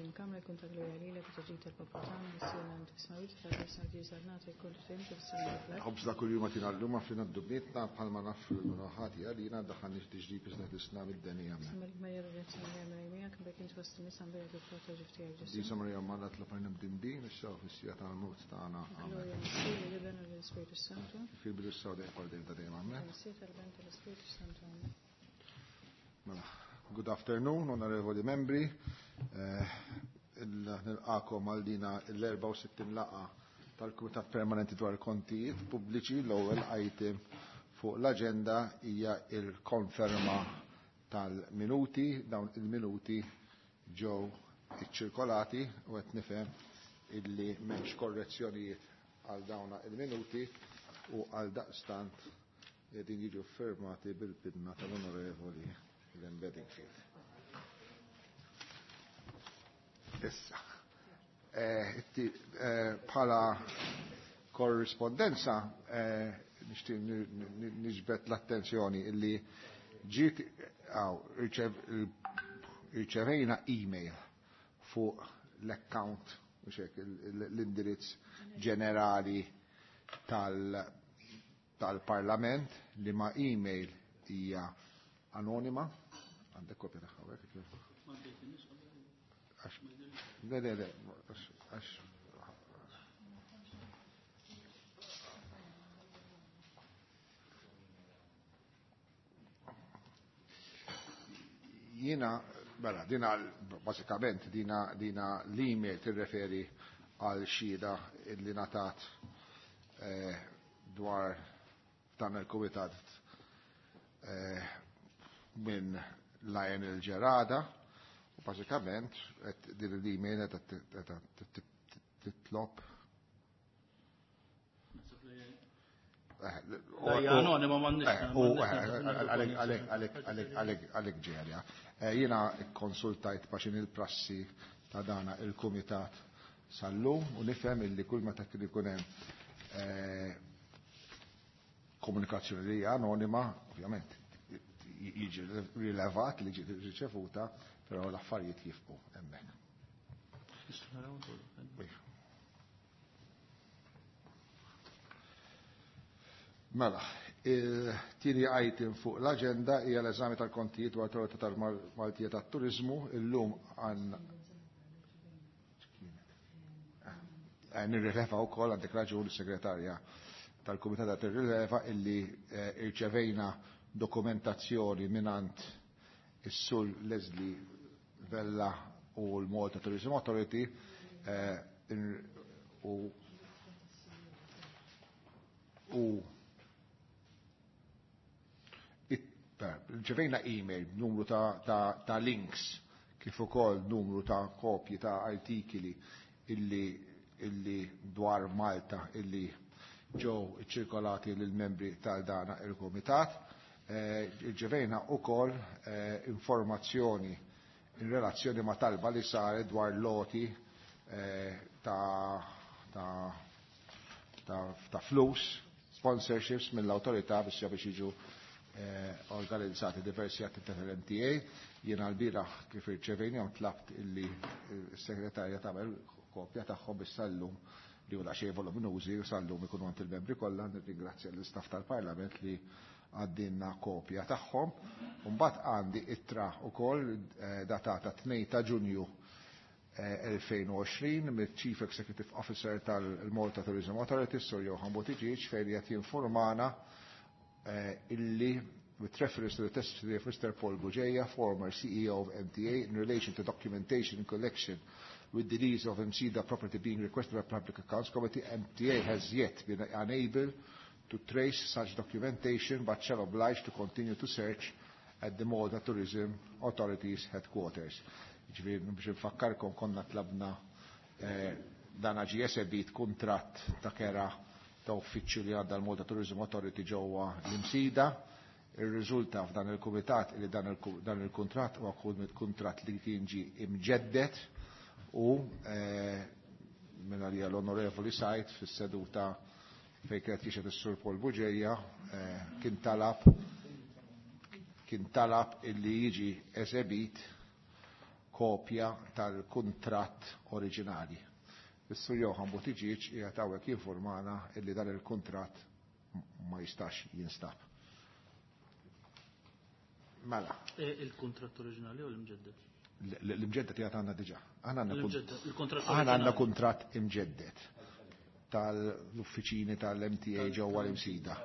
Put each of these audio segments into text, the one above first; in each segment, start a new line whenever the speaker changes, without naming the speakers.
il-Kamra jkun ta' glorja lilek u ta' ġid tal-poplu tagħna, Missierna inti fis-smewwiet, titqaddes ismek, tiġi saltnatek, ikun trid fis-sema kif fl-art.
Ħobżna kuljum agħtina llum, aħfrilna dnubietna bħalma naħfru lil min hu ħati għalina, daħħalniex f'tiġrib iżda ħlisna mid-deni. Amen.
Insellmulek Marija bil-grazzja Mulej Mulej miegħek, imbierek int fost in-nisa, imbierek il-frott ta' ġuf tiegħek Ġesù.
Qdisa Marija Omm Alla tlob għalina mdinbin, issa u fis-siegħa tal-mewt tagħna. Amen.
Glorja lill-Missier, lill-Iben u lill-Ispirtu s-Santu.
Kif fil-bidu issa u dejjem għal dejjem ta' dejjem. Amen.
Missier tal-Iben tal-Ispirtu s-Santu. Amen.
Mela, good afternoon, onorevoli membri. Nilqakom għal dina l-64 laqa tal-Kumitat Permanenti dwar il-Kontijiet Pubbliċi. L-ewwel item fuq l-aġenda hija il-konferma tal-minuti. Dawn il-minuti ġew iċċirkolati u qed nifhem illi m'hemmx korrezzjonijiet għal dawna il-minuti u għal daqstant qegħdin jiġu firmati bil-pidna tal-Onorevoli Glenn Bedingfield. Issa, bħala korrispondenza nixtieq niġbed l-attenzjoni illi ġiet irċevejna email fuq l-account, mhux hekk, l-indirizz ġenerali tal-Parlament li ma email hija anonima. Għandek kopja tagħha hawnhekk, kif? Għax, le, le, le, għax, għax. Jiena, mela, dina, basikament, dina, dina l-email tirreferi għal xhieda illi ngħatat dwar dan il-kumitat minn Lionel Gerada, u basikament qed din l-email qed titlob.
Hija anonima, m'għandniex.
U għalek ġerja. Jiena konsultajt paxin il-prassi ta' dana il-kumitat sal-lum u nifhem illi kull meta kien ikun hemm komunikazzjoni li hija anonima, ovvjament jiġi rilevat li ġiet riċevuta, però l-affarijiet jifqu hemmhekk. Mela, il-tieni item fuq l-aġenda hija l-eżami tal-kontijiet dwar l-Awtorità tal-Maltija tat-Turiżmu. Illum għan nirrileva wkoll għandek raġun is-segretarja tal-Kumitat qed tirrileva illi irċevejna dokumentazzjoni mingħand is-Sur Leslie Vella u l-Malta Tourism Authority u ġevejna email numru ta' links kif ukoll numru ta' kopji ta' artikoli illi dwar Malta illi ġew ċirkolati lil membri tal-dana il-Kumitat. Ġevejna ukoll informazzjoni in relazzjoni ma' talba li saret dwar loti ta' flus, sponsorships mill-awtorità biex jiġu organizzati diversi attività tal-MTA. Jiena l-bieraħ kif irċevejnihom tlabt illi s-segretarja tagħmel kopja tagħhom biex sallum li huwa xejn voluminużi u sallum ikunu għand il-membri kollha. Nirringrazzja l-istaff tal-Parlament li għaddinna kopja tagħhom. Mbagħad għandi ittra wkoll datata 2 ta' Ġunju 2020 mill-Chief Executive Officer tal-Malta Tourism Authority, Sir Johan Buttigieg, fejn qed jinformana illi with reference to the testimony of Mr. Paul Bugeja, former CEO of MTA, in relation to documentation collection with the lease of Msida property being requested by Public Accounts Committee, MTA has yet been unable to trace such documentation, but shall oblige to continue to search at the Malta Tourism Authority's headquarters. Ġifieri, biex nfakkarkom konna tlabna dan ġie esebit kuntratt ta' kera ta' uffiċċju li għadda l-Malta Tourism Authority ġewwa l-Imsida. Ir-riżulta f'dan il-kumitat li dan il-kuntratt huwa kuntratt li kien ġie imġeddet u minn għalija l-Onorevoli Said fis-seduta fejn kienet jixhed is-Sur Paul Bugeja kien talab illi jiġi esebit kopja tal-kuntratt oriġinali. Is-Sur Johann Buttigieg qiegħed hawnhekk jinfurmana illi dan il-kuntratt ma jistax jinstab. Mela.
Il-kuntratt oriġinali u l-imġedded?
L-imġedded qiegħed għandna diġà. Aħna għandna kuntratt imġedded tal-uffiċini tal-MTA ġewwa l-Imsida.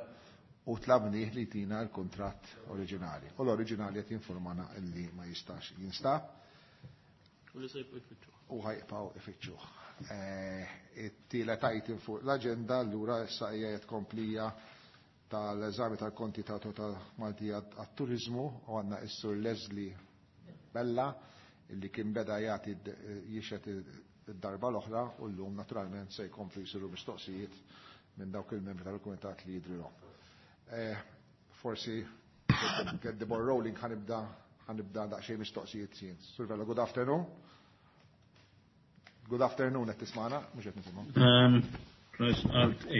U tlabnih li tina l-kuntratt oriġinali. U l-oriġinali qed jinfurmana illi ma jistax jinstab.
U li se jibqgħu jfittxuh.
U ħajqbgħu ifittxuh. It-tielet item fuq l-aġenda allura issa hija tkomplija tal-eżami tal-konti ta' Awtorità Maltija għat-Turiżmu u għandna s-Sur Leslie Bella illi kien beda jagħti jixhed id-darba l-oħra u llum naturalment se jkomplu jsiru mistoqsijiet minn dawk il-membri tal-kumitat li jidrilhom. Forsi get the ball rolling ħanibda ħanibda daqsxejn mistoqsijiet jien. Sur Vella, good afternoon. Good afternoon qed tismagħna, mhux qed nisimgħu.
Press Alt A.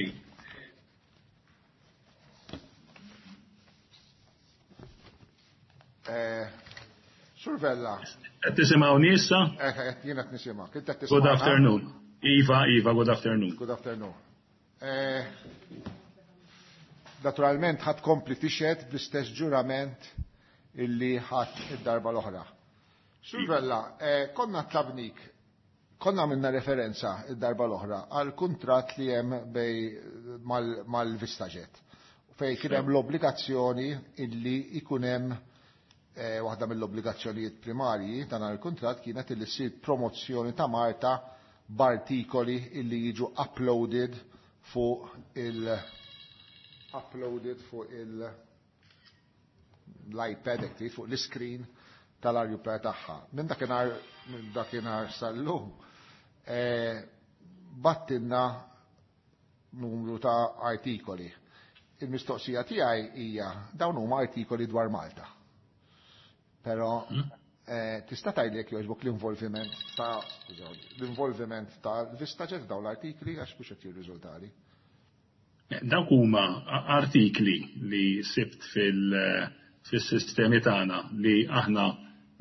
Sur Vella.
Qed tisimgħuni issa?
Jien qed nisimgħek. Inti qed
Good afternoon. Iva, Iva, good afternoon.
Good afternoon. Naturalment ħadd kompli tixhed bl-istess ġurament illi ħadd id-darba l-oħra. Sur Vella, konna tlabnik, konna għamilna referenza id-darba l-oħra għal kuntratt li hemm bej mal-Vistaġet fejn kien hemm l-obbligazzjoni illi ikun hemm waħda mill-obbligazzjonijiet primarji ta' dan il-kuntratt kienet illi ssir promozzjoni ta' Malta b'artikoli illi jiġu uploaded fuq il uploaded fuq il l-iPad fuq l-screen tal-arjuplan tagħha. Minn dakinhar sal-lum battinna numru ta' artikoli. Il-mistoqsija tiegħi hija dawn huma artikoli dwar Malta. Però tista' tgħidli jekk jogħġbok l-involviment ta' l-involviment ta' Vistaġet dawn l-artikli għax mhux qed jirriżultali.
Dawk huma artikli li sibt fil-sistemi tagħna li aħna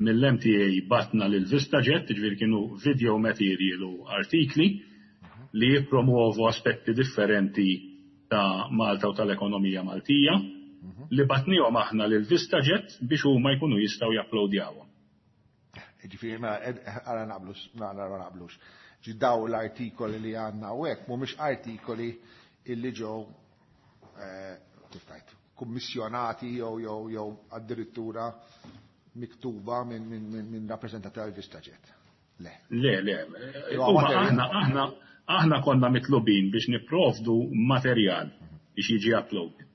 mill-MTA batna lil VistaJet, ġifieri kienu video material u artikli li jippromuovu aspetti differenti ta' Malta u tal-ekonomija Maltija li batnihom aħna lil VistaJet biex huma jkunu jistgħu japplowdjawhom.
Ġifieri ma għara naqblux, nara naqblux. Ġi daw l-artikoli li għandna u hekk mhumiex artikoli illi ġew kif tgħid, kummissjonati jew addirittura miktuba minn rappreżentanti tal-VistaJet. Le.
Le, le. Aħna konna mitlubin biex nipprovdu materjal biex jiġi uploaded.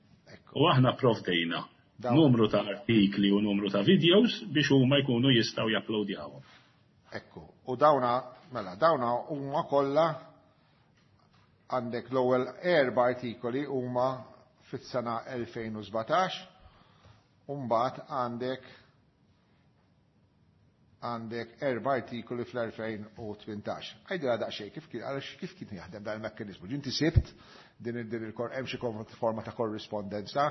U aħna provdejna numru ta' artikli u numru ta' videos biex huma jkunu jistgħu japplowdjawhom.
Ekku, u dawna, mela, dawna huma kollha għandek l-ewwel 4 artikoli huma fis-sena 2017, u mbagħad għandek 4 artikoli fl-2018. Għajdilha daqsxejn kif kien, għaliex kif kien jaħdem dan il-mekkaniżmu. Ġinti sibt din hemm xi forma ta' korrispondenza,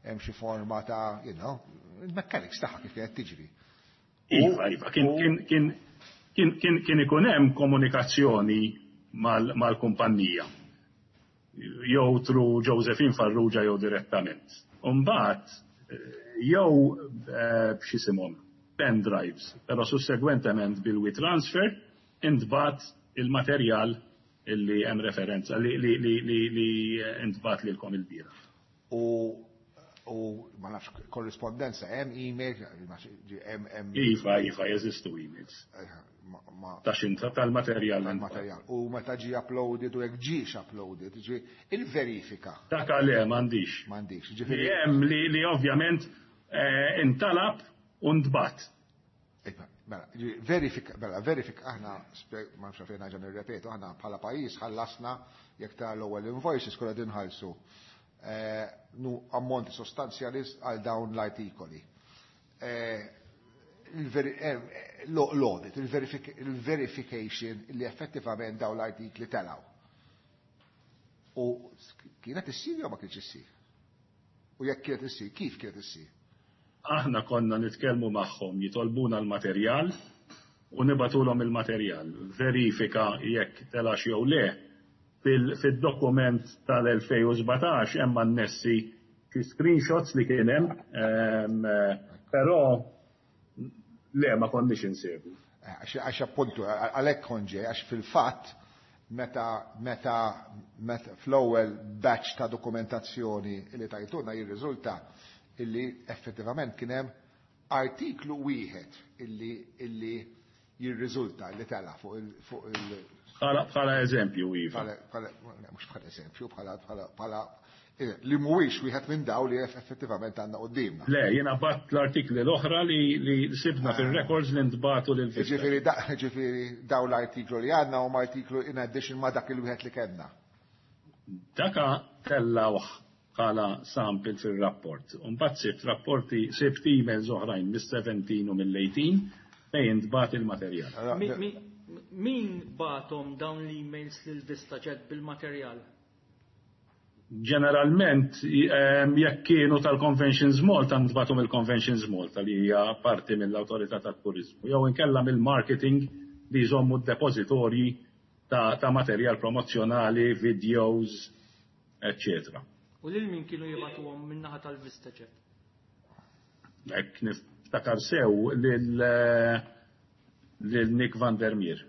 hemm xi forma ta' you know, il-mechanics tagħha kif kienet tiġri.
Iva, iva, kien ikun hemm komunikazzjoni mal-kumpanija. Jew through Josephine Farrugia jew direttament. Umbagħad jew b'xisimhom pen drives, però sussegwentement bil-WeTransfer intbat il-materjal illi hemm referenza li intbat lilkom il-bira.
U ma nafx korrispondenza hemm email, hemm
Iva, iva, jeżistu emails. Ta' xinta tal-materjal.
Tal-materjal. U meta ġi uploaded u jekk ġiex uploaded, ġi il-verifika.
Dak għalih m'għandix.
M'għandix, ġifieri
Hemm li ovvjament intalab u ntbat.
Iva, mela, ġi, verifika, mela, verifika, aħna, ma nafx fejn ħaġa nirrepetu, aħna bħala pajjiż ħallasna jekk ta' l-ewwel invoices kollha din ħallsu ammonti sostanzjali għal dawn l-artikoli. L-audit, il-verification li effettivament dawn l-artikli telaw. U kienet issir jew ma kienx issir? U jekk kienet issir, kif kienet issir?
Aħna konna nitkellmu magħhom, jitolbuna l-materjal, u nibagħtulhom il-materjal. Verifika jekk telax jew le fid-dokument tal-2017 hemm annessi xi screenshots li kien hemm, però le, ma konniex insegwu.
Għax appuntu, għalhekk kont ġej, għax fil-fatt meta fl-ewwel batch ta' dokumentazzjoni li tajtuna jirriżulta illi effettivament kien hemm artiklu wieħed illi jirriżulta li tela fuq il
Bħala eżempju, iva.
Mhux bħala eżempju, bħala li mhuwiex wieħed minn daw li effettivament għandna quddiemna.
Le, jiena bgħatt l-artikli l-oħra li sibna fil-records li ntbagħtu lil
Ġifieri daw l-artiklu li għandna huma artiklu in addition ma dak il-wieħed li kellna.
Daka tellawh bħala sample fil-rapport. Mbagħad sibt rapporti, sibt emails oħrajn mis-17 u mill-18 fejn ntbagħat il-materjal.
Min bagħathom dawn l-emails lil VistaJet bil-materjal?
Ġeneralment, jekk kienu tal-Conventions Malta, ntbagħtu mill-Conventions Malta li hija parti mill-Awtorità tat-Turizmu, jew inkella mill-marketing li jżommu d-depozitorji ta' materjal promozzjonali, videos, eccetera.
U lil min kienu jibagħtuhom min-naħa tal-VistaJet?
Jekk niftakar sew lil Nick van der Meer.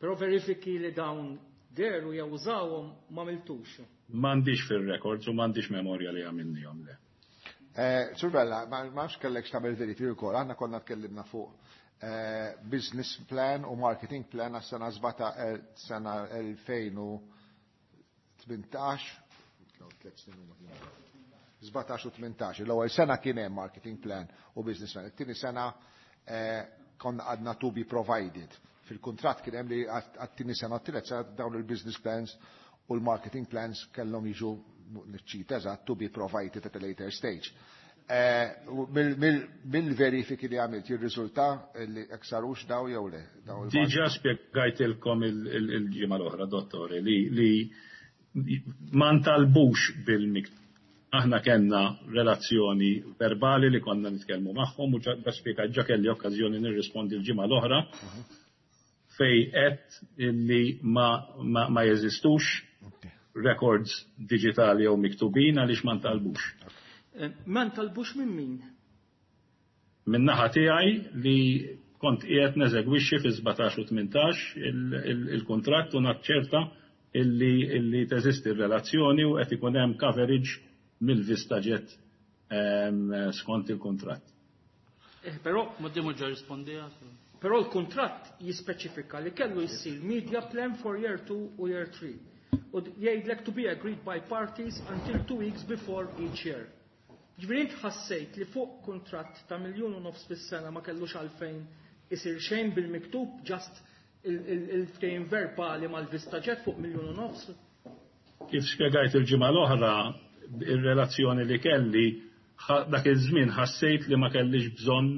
Però verifiki li dawn dehru jew użawhom ma għamiltux.
M'għandix fil-records u m'għandix memorja li għamilnihom, le.
Sur Vella, ma nafx kellek x'tagħmel verifiki wkoll, aħna konna tkellimna fuq business plan u marketing plan għas-sena sena 2018, 17 u 18. L-ewwel sena kien hemm marketing plan u business plan. It-tieni sena konna għadna to be provided. Fil-kuntratt kien hemm li għat-tieni sena u t-tielet sena dawn il-business plans u l-marketing plans kellhom jiġu, niċċita eżatt, to be provided at a later stage. Mill-verifiki li għamilt jirriżulta li jekk sarux daw jew le?
Diġà spjegajtilkom il-ġimgħa l-oħra, dottore, li ma ntalbux bil-miktub. Aħna kellna relazzjoni verbali li konna nitkellmu magħhom u ġa spjegajt, ġa kelli okkażjoni nirrispondi l-ġimgħa l-oħra fejn għedt illi ma jeżistux records digitali jew miktubin għaliex ma ntalbux.
Ma ntalbux minn min?
Min naħa tiegħi li kont qiegħed neżegwixxi fi 17 u 18 il-kuntratt u naċċerta illi teżisti r-relazzjoni u qed ikun hemm coverage mill-VistaJet skont il-kuntratt.
Però
Ma dimu ġa rispondija.
Però l-kuntratt jispeċifika li kellu jsir media plan for year 2 u year 3. U jgħidlek to be agreed by parties until 2 weeks before each year. Ġifieri int ħassejt li fuq kuntratt ta' 1.5 miljon fis-sena ma kellux għalfejn isir xejn bil-miktub, just il-ftehim verbali mal-VistaJet fuq 1.5 miljon?
Kif spjegajt il-ġimgħa l-oħra, ir-relazzjoni li kelli dak iż-żmien ħassejt li ma kellix bżonn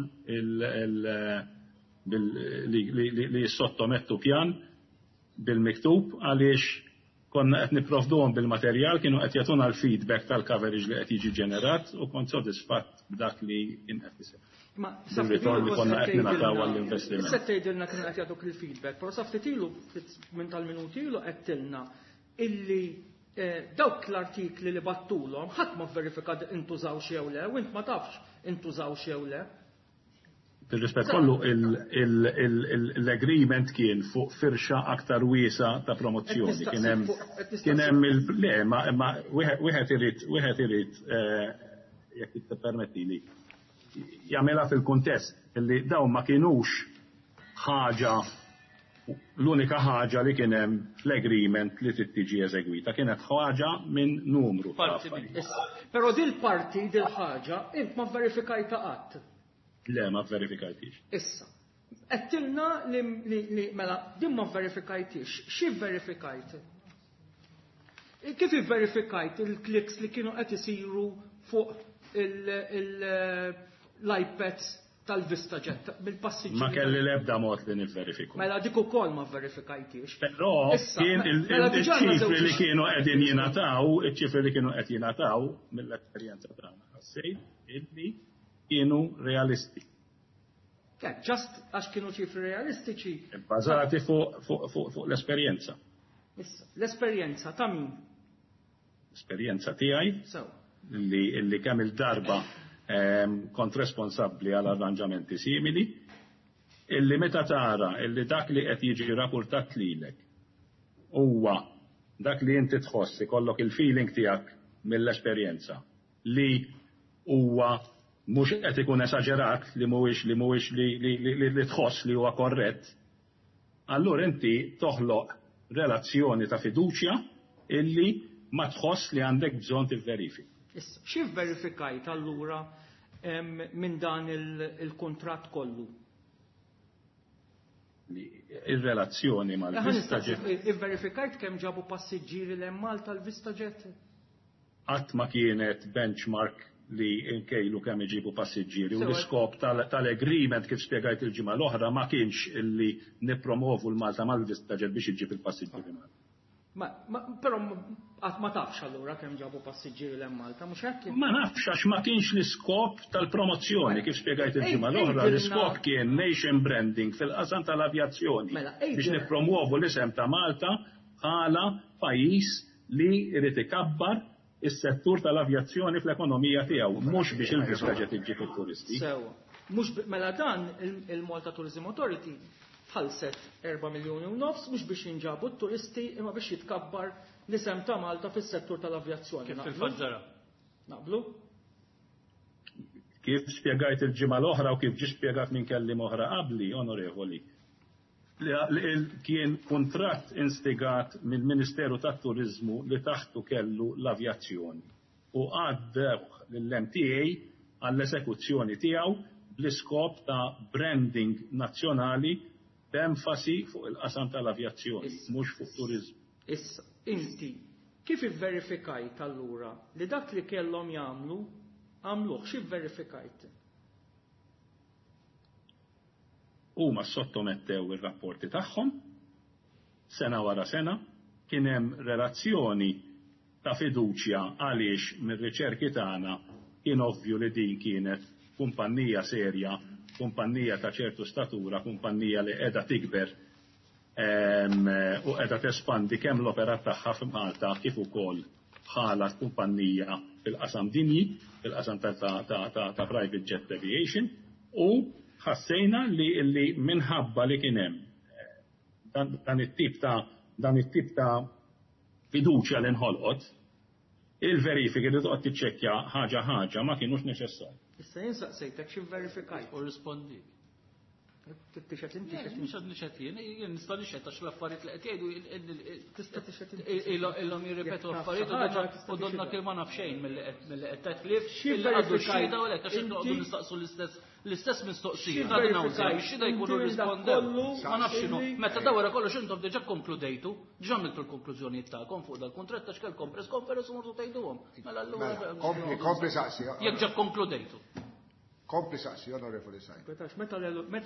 li jissottomettu pjan bil-miktub għaliex konna qed nipprovduhom bil-materjal, kienu qed jagħtuna l-feedback tal-coverage li qed jiġi ġenerat u kont sodisfatt b'dak li kien qed isir.
Ma
Bir-ritorn li konna qed ningħataw għall-investiment.
Issa tgħidilna kienu qed jagħtuk il-feedback, però sa ftit ilu, ftit minn tal-minuti ilu għedtilna illi dawk l-artikli li bgħattulhom ħadd ma verifika intużaw jew le, u int ma tafx intużaw jew le.
Bil-rispett kollu, l-agreement kien fuq firxa aktar wiesa ta' promozzjoni. Kien hemm kien hemm il le, ma wieħed irid, jekk tippermettili, jagħmilha fil-kuntest illi dawn ma kienux ħaġa l-unika ħaġa li kien hemm fl-agreement li trid tiġi eżegwita, kienet ħaġa minn numru ta'
Parti
affarijiet.
Issa, però dil-parti, dil-ħaġa, int ma verifikajta qatt.
Le, ma verifikajtix.
Issa, għedtilna li mela, din ma verifikajtix, xi verifikajt? Kif verifikajt il-clicks li kienu qed isiru fuq l-iPads tal-VistaJet, bil-passiġġieri?
Ma kelli l-ebda mod li nivverifiku.
Mela dik ukoll ma verifikajtix.
Però
Issa,
kien
mela diġà għandna
il-ċifri li
żewġ
kienu qegħdin jingħataw, iċ-ċifri li kienu qed jingħataw mill-esperjenza tagħna ħassejt illi kienu realisti.
Just għax kienu ċifri realistiċi.
Bbażati fuq l-esperjenza.
Issa, l-esperjenza ta' min?
Esperjenza tiegħi.
Sew.
Li kemm il-darba kont responsabbli għal arranġamenti simili, illi meta tara illi dak li qed jiġi rapportat lilek huwa dak li inti tħoss, ikollok il-feeling tiegħek mill-esperjenza li huwa mhux qed ikun esaġerat, li mhuwiex li mhuwiex li tħoss li huwa korrett, allura inti toħloq relazzjoni ta' fiduċja illi ma tħoss li għandek bżonn tivverifika.
Issa, xi verifikajt allura minn dan il-kuntratt kollu?
Ir-relazzjoni mal-VistaJet.
Ivverifikajt kemm ġabu passiġġieri 'l hemm Malta l-VistaJet?
Qatt ma kienet benchmark li nkejlu kemm iġibu passiġġieri u l-iskop tal-agreement, kif spjegajt il-ġimgħa l-oħra, ma kienx illi nippromovu l-Malta mal-VistaJet biex iġib il-passiġġieri Malta.
Ma, però qatt ma tafx allura kemm ġabu passiġġieri 'l hemm Malta, mhux hekk?
Ma nafx għax ma kienx l-iskop tal-promozzjoni, kif spjegajt il-ġimgħa l-oħra, l-iskop kien nation branding fil-qasam tal-avjazzjoni biex nippromuovu l-isem ta' Malta bħala pajjiż li jrid ikabbar is-settur tal-avjazzjoni fl-ekonomija tiegħu, mhux biex il-VistaJet iġġib it-turisti.
Sewa. Mhux mela dan il-Malta Tourism Authority ħallset 4 miljuni u nofs mhux biex jinġabu t-turisti imma biex jitkabbar l-isem ta' Malta fis-settur tal-avjazzjoni.
Kif fil-fatt ġara?
Naqblu?
Kif spjegajt il-ġimgħa l-oħra u kif ġie spjegat minn kelliem oħra qabli, onorevoli, li kien kuntratt instigat mill-Ministeru tat-Turiżmu li taħtu kellu l-avjazzjoni u għaddewh lill-MTA għall-esekuzzjoni tiegħu bl-iskop ta' branding nazzjonali b'enfasi fuq il-qasam tal-avjazzjoni, mhux fuq turiżmu.
Issa, inti kif ivverifikajt allura li dak li kellhom jagħmlu għamluh, x'ivverifikajt?
Huma sottomettew ir-rapporti tagħhom sena wara sena, kien hemm relazzjoni ta' fiduċja għaliex mir-riċerki tagħna kien ovvju li din kienet kumpanija serja, kumpanija ta' ċertu statura, kumpanija li qiegħda tikber u qiegħda tespandi kemm l-operat tagħha f'Malta kif ukoll bħala kumpanija fil-qasam dinji, fil-qasam ta' private jet aviation, u ħassejna li minħabba li kien hemm dan it-tip ta' fiduċja li nħolqot, il-verifiki li toqgħod tiċċekkja ħaġa ħaġa ma kienux neċessarji.
Issa jien saqsejtek xi verifikajt.
U rispondi.
Tixet inti,
tixet inti. Mhux nixet jien, jien nista' nixet għax l-affarijiet li qed jgħidu
Tista' tixet inti.
Ilhom jirripetu affarijiet u donna kien ma naf xejn milli qed tgħid ħlief
Xi
illi għadu
verifikajt
xhieda u lek għax
inti?
inqogħdu nistaqsu l-istess mistoqsija.
Xi
Għadna hawn
verifikajt
xhieda jkunu
inti minn dak
rispondew.
kollu
Ma nafx x'inhu.
illi
Meta da wara kollox intom diġà konkludejtu, diġà għamiltu l-konklużjonijiet tagħkom fuq dal-kuntratt għax kellkom press conference u mortu tgħiduhom. Mela allura
Mela, kompli, kompli saqsi.
Jekk ġa konkludejtu.
Kompli saqsi, onorevoli Said.
Għetax, meta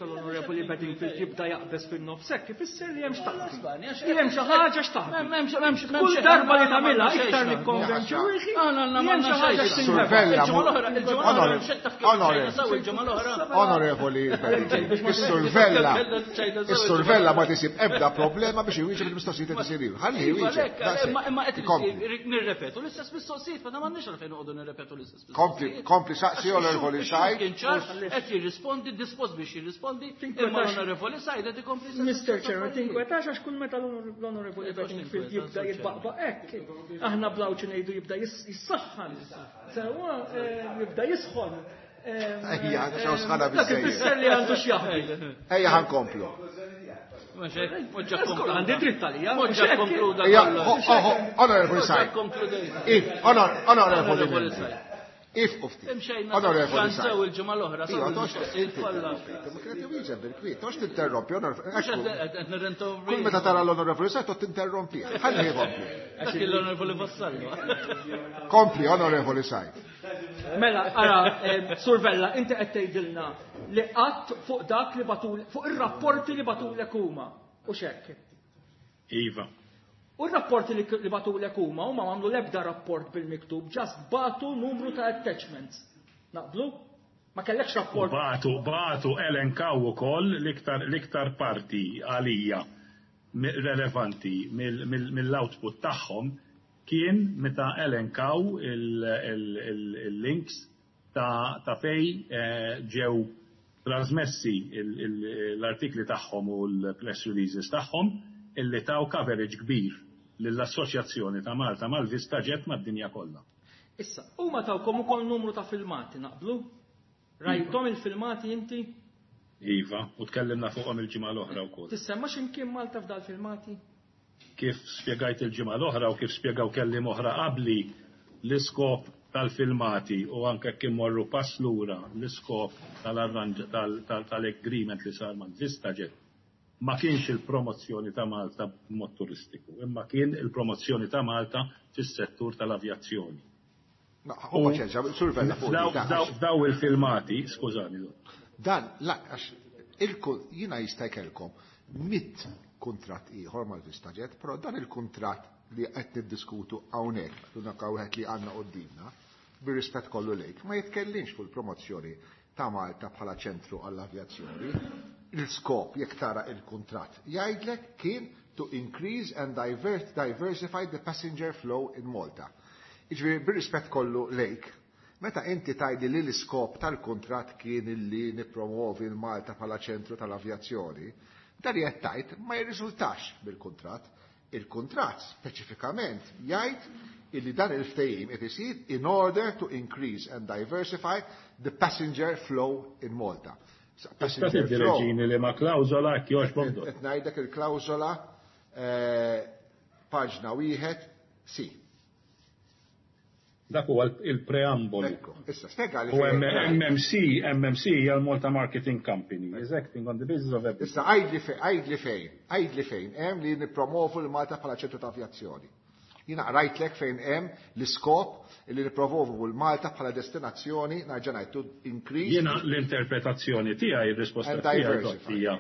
l-onorevoli Bedingfield jibda jaqbes fin-nofs hekk, ifisser li hemm x'taħbi.
Spanja,
Li hemm xi ħaġa x'taħbi.
M'hemmx,
Kull
m'hemmx
darba li
xejn.
tagħmilha
M'hemmx
iktar
xejn.
nikkonvinċi ruħi
Ah, no, no,
li hemm xi
m'għandna
ħaġa
xejn.
x'tinħeba.
Survella,
Il-ġimgħa l-oħra, il-ġimgħa l-oħra,
Onorevoli,
xejn taf kif
onorevoli.
xejn sew il-ġimgħa l-oħra.
Onorevoli Bedingfield, is-survella ma tisib ebda problema biex iwieġeb il-mistoqsijiet li tisir. Ħalli
Iva,
iwieġeb.
lek,
daqshekk.
imma qed
Kompli.
nirrepetu l-istess mistoqsijiet, ma m'għandniex għalfejn noqogħdu nirrepetu l-istess
Kompli,
mistoqsijiet.
kompli saqsi, onorevoli Said.
Kien ċar, qed jirrispondi, dispost biex jirrispondi, imma l-onorevoli Said qed ikompli l-istess
Mr. Chairman,
affarijiet.
tinkwetax għax kull meta l-onorevoli
Tinkwetax,
Bedingfield jibda
Chairman.
jitbaqbaq hekk, aħna blawċi ngħidu jibda jissaħħan. Sewwa, jibda jisħon.
Ejja, għandu xaw sħana
Dak
biżżejjed.
ifisser li għandu x'jaħbi.
Ejja, ħankomplu.
Mhux hekk, mhux ġa
Żgur,
konkluda.
għandi dritt għalija,
Mhux
mhux
ġa
hekk.
konkluda
Ejja,
kollox.
onorevoli
Mhux ġa
Said.
konkludejt.
If, onorevoli
Onorevoli
membri.
Said.
If ufti.
Imxejna
Onorevoli
sew
Said.
il-ġimgħa l-oħra, sew
Iva, tox
il-mistoqsijiet kollha.
tinterrompi. Ma kienet iwieġeb bil-kwiet, tox tinterrompi, onorevoli.
Mhux qed nirrinterrompi.
Kull meta tara l-onorevoli Said, tot tinterrompi. Ħalli jkompli.
Dak l-onorevoli Vassallo.
Kompli, onorevoli Said.
Mela, ara, Survella, inti qed tgħidilna li qatt fuq dak li batul, fuq ir-rapporti li batulek huma, u x'hekk.
Iva.
U r-rapporti li batulek huma, huma m'għamlu l-ebda rapport bil-miktub, just batu numru ta' attachments. Naqblu? Ma kellekx rapport.
Bagħtu elenkaw ukoll l-iktar parti għalija relevanti mill-output tagħhom kien meta elenkaw il-links ta' fej ġew trasmessi l-artikli tagħhom u l-press releases tagħhom illi taw coverage kbir lill-Assoċjazzjoni ta' Malta mal-VistaJet mad-dinja kollha.
Issa, huma tawkom ukoll numru ta' filmati, naqblu? Rajthom il-filmati inti?
Iva, u tkellimna fuqhom il-ġimgħa l-oħra wkoll.
Tissemma x'imkien Malta f'dal filmati?
Kif spjegajt il-ġimgħa l-oħra u kif spjegaw kelliem oħra qabli, l-iskop tal-filmati u anke kif morru pass lura l-iskop tal-agreement li sar ma' VistaJet ma kienx il-promozzjoni ta' Malta b'mod turistiku, imma kien il-promozzjoni ta' Malta fis-settur tal-avjazzjoni. Daw il-filmati, skużani.
Dan, għax jiena jista' jkellkom 100 kuntratt ieħor mal-VistaJet, però dan il-kuntratt li qed niddiskutu hawnhekk, l-unika wieħed li għandna qudiemna, bir-rispett kollu lejk, ma jitkellimx fuq il-promozzjoni ta' Malta bħala ċentru għall-avjazzjoni. Il-skop, jekk tara il-kuntratt, jgħidlek kien to increase and diversify the passenger flow in Malta. Jiġifieri, bir-rispett kollu lejk, meta inti tgħidli li l-iskop tal-kuntratt kien illi nippromovi l-Malta bħala ċentru tal-avjazzjoni, dan li qed tgħid ma jirriżultax bil-kuntratt. Il-kuntratt speċifikament jgħid illi dan il-ftehim qed isir in order to increase and diversify the passenger flow in Malta.
Passenger flow. Li ma klawżola jogħġbok.
Qed ngħidlek il-klawżola paġna 1 C.
Dak huwa il-preambolu.
Issa, spjega li
U MMC hija l-Malta Marketing Company, is acting on the basis of everything.
Issa, għidli fejn hemm li nippromovu l-Malta bħala ċentru ta' avjazzjoni. Jiena qrajtlek fejn hemm l-iskop li nippromovu l-Malta bħala destinazzjoni, nerġa' ngħid, to increase.
Jiena l-interpretazzjoni tiegħi, ir-risposta tiegħi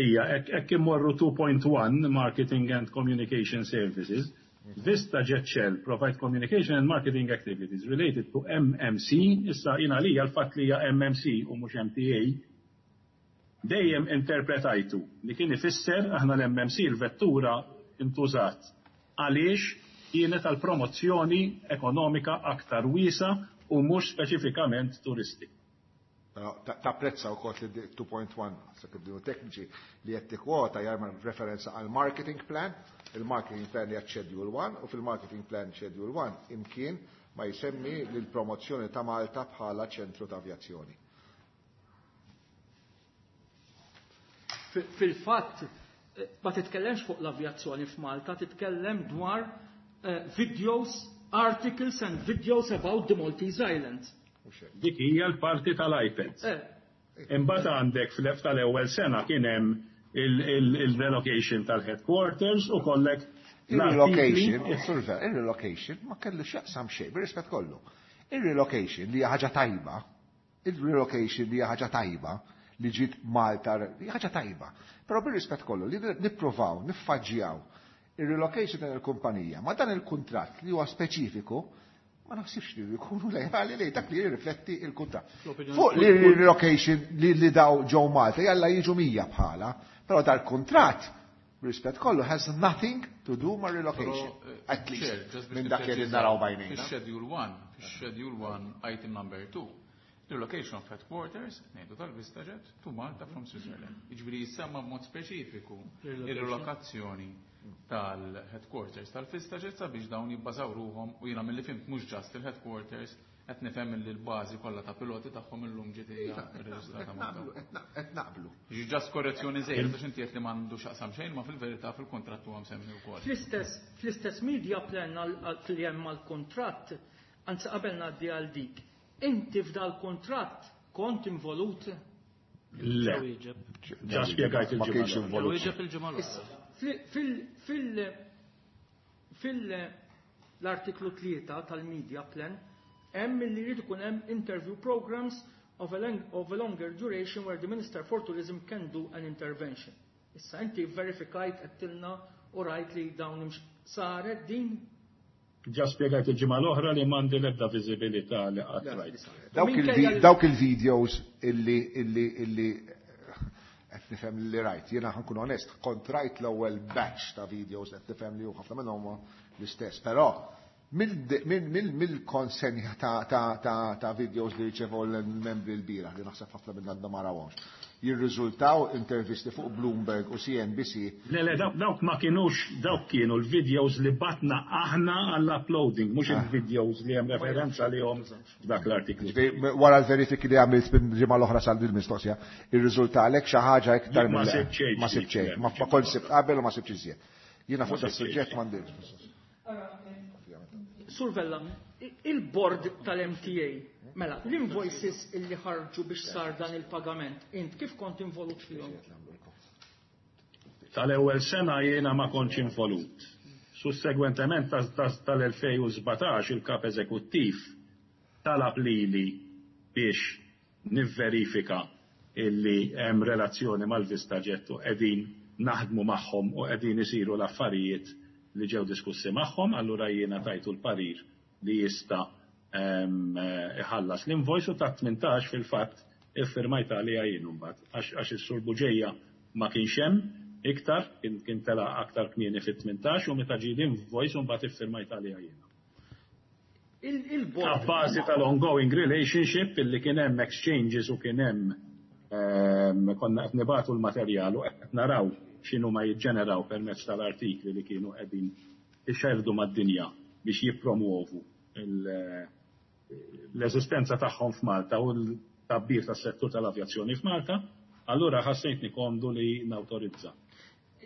hija hekk immorru 2.1 Marketing and Communication Services. VistaJet shall provide communication and marketing activities related to MMC, issa jina li l-fatt li hija MMC u mhux MTA, dejjem interpretajtu li kien ifisser aħna l-MMC l-vettura intużat għaliex kienet għal promozzjoni ekonomika aktar wiesa u mhux speċifikament turistik.
Tapprezza wkoll li 2.1, sa kif dinu tekniċi li qed tikkwota jagħmel referenza għal marketing plan, il-marketing plan hija Schedule 1 u fil-marketing plan Schedule 1 imkien ma jsemmi l-promozzjoni ta' Malta bħala ċentru ta' avjazzjoni.
Fil-fatt, ma titkellemx fuq l-avjazzjoni f'Malta, titkellem dwar videos, articles and videos about the Maltese Islands.
Dik hija l-parti tal-iPads. Imbagħad għandek fl tal-ewwel sena kien hemm il-relocation tal-headquarters u kollek
Il-relocation, il-relocation ma kellu x'jaqsam xejn, bir-rispett kollu. Il-relocation li hija ħaġa tajba, il-relocation li hija ħaġa tajba li ġiet Malta, hija ħaġa tajba. Però bir-rispett kollu li nippruvaw, niffaġġjaw il-relocation tal il-kumpanija ma dan il-kuntratt li huwa speċifiku, ma naħsibx li jkunu lejali li dak li jirrifletti il-kuntratt. Fuq li relocation li daw ġew Malta, jalla jiġu 100 bħala, però dal-kuntratt rispett kollu has nothing to do ma' relocation. At least minn dak li naraw bajnejna.
Fix-schedule 1, fix-schedule 1, item number 2, relocation of headquarters, ngħidu tal-VistaJet, to Malta from Switzerland. Jiġifieri jissemma b'mod speċifiku ir-relokazzjoni tal-headquarters tal-VistaJet sabiex dawn jibbażaw ruhom u jiena milli fhimt mhux just il-headquarters qed nifhem li l-bażi kollha ta' piloti tagħhom illum ġiet hija rreġistrata Malta.
Qed naqblu.
Ġi just korrezzjoni żejda għax inti qed li m'għandu x'aqsam xejn ma fil-verità fil-kuntratt huwa msemmi wkoll.
Fl-istess media plan fil-hemm mal-kuntratt, anzi qabel ngħaddi għal dik, inti f'dal kuntratt kont involut?
Le. Ġa spjegajt
Ma kienx
il-ġimgħa.
involut.
Wieġeb il-ġimgħa l-oħra.
Fil-artiklu 3 tal-media plan hemm li jrid ikun hemm interview programs of a longer duration where the Minister for Tourism can do an intervention. Issa inti verifikajt għedtilna u rajt li dawn saret din?
Ġa spjegajt il-ġimgħa l-oħra li m'għandi l-ebda viżibilità li qatt rajt.
Dawk il-videos illi qed nifhem li rajt, jiena ħa nkun onest, kont rajt l-ewwel batch ta' videos, qed nifhem li ħafna minnhom huma l-istess, però mill-konsenja ta' videos li rċevew l-membri l-bieraħ, li naħseb ħafna minn għandhom ma rawhomx, jirriżultaw intervisti fuq Bloomberg u CNBC.
Le, dawk ma kienux, dawk kienu l-videos li bgħatna aħna għall-uploading, mhux il-videos li hemm referenza li hom dak l-artiklu.
Wara l-verifiki li għamilt minn ġimgħa l-oħra sal din mistoqsija, irriżulta għalek xi ħaġa iktar
Ma sibt xejn.
Ma sibt xejn. Ma kont sibt qabel u ma sibx iżjed. Jiena fuq das-suġġett m'għandix.
Sur Vella, il-board tal-MTA, mela, l-invoices illi ħarġu biex sar dan il-pagament, int kif kont involut fihom?
Tal-ewwel sena jiena ma kontx involut. Sussegwentement tal-2017 il-kap eżekuttiv talab lili biex nivverifika illi hemm relazzjoni mal-VistaJet u qegħdin naħdmu magħhom u qegħdin isiru l-affarijiet li ġew diskussi magħhom, allura jiena tajtu l-parir li jista' iħallas l-invoice u ta' 18 fil-fatt iffirmajt għalija jien mbagħad għax is-Sur Buġeja ma kienx hemm iktar, kien tela aktar kmieni fit-18 u meta ġie l-invoice mbagħad iffirmajt għalija jiena.
Il-board.
Abbażi tal-ongoing relationship illi kien hemm exchanges u kien hemm konna qed nibagħtu l-materjal u qed naraw x'inhu ma jiġġeneraw permezz tal-artikli li kienu qegħdin ixerdu mad-dinja biex jippromuovu l-eżistenza tagħhom f'Malta u l-tkabbir tas-settur tal-avjazzjoni f'Malta, allura ħassejtni komdu li nawtorizza.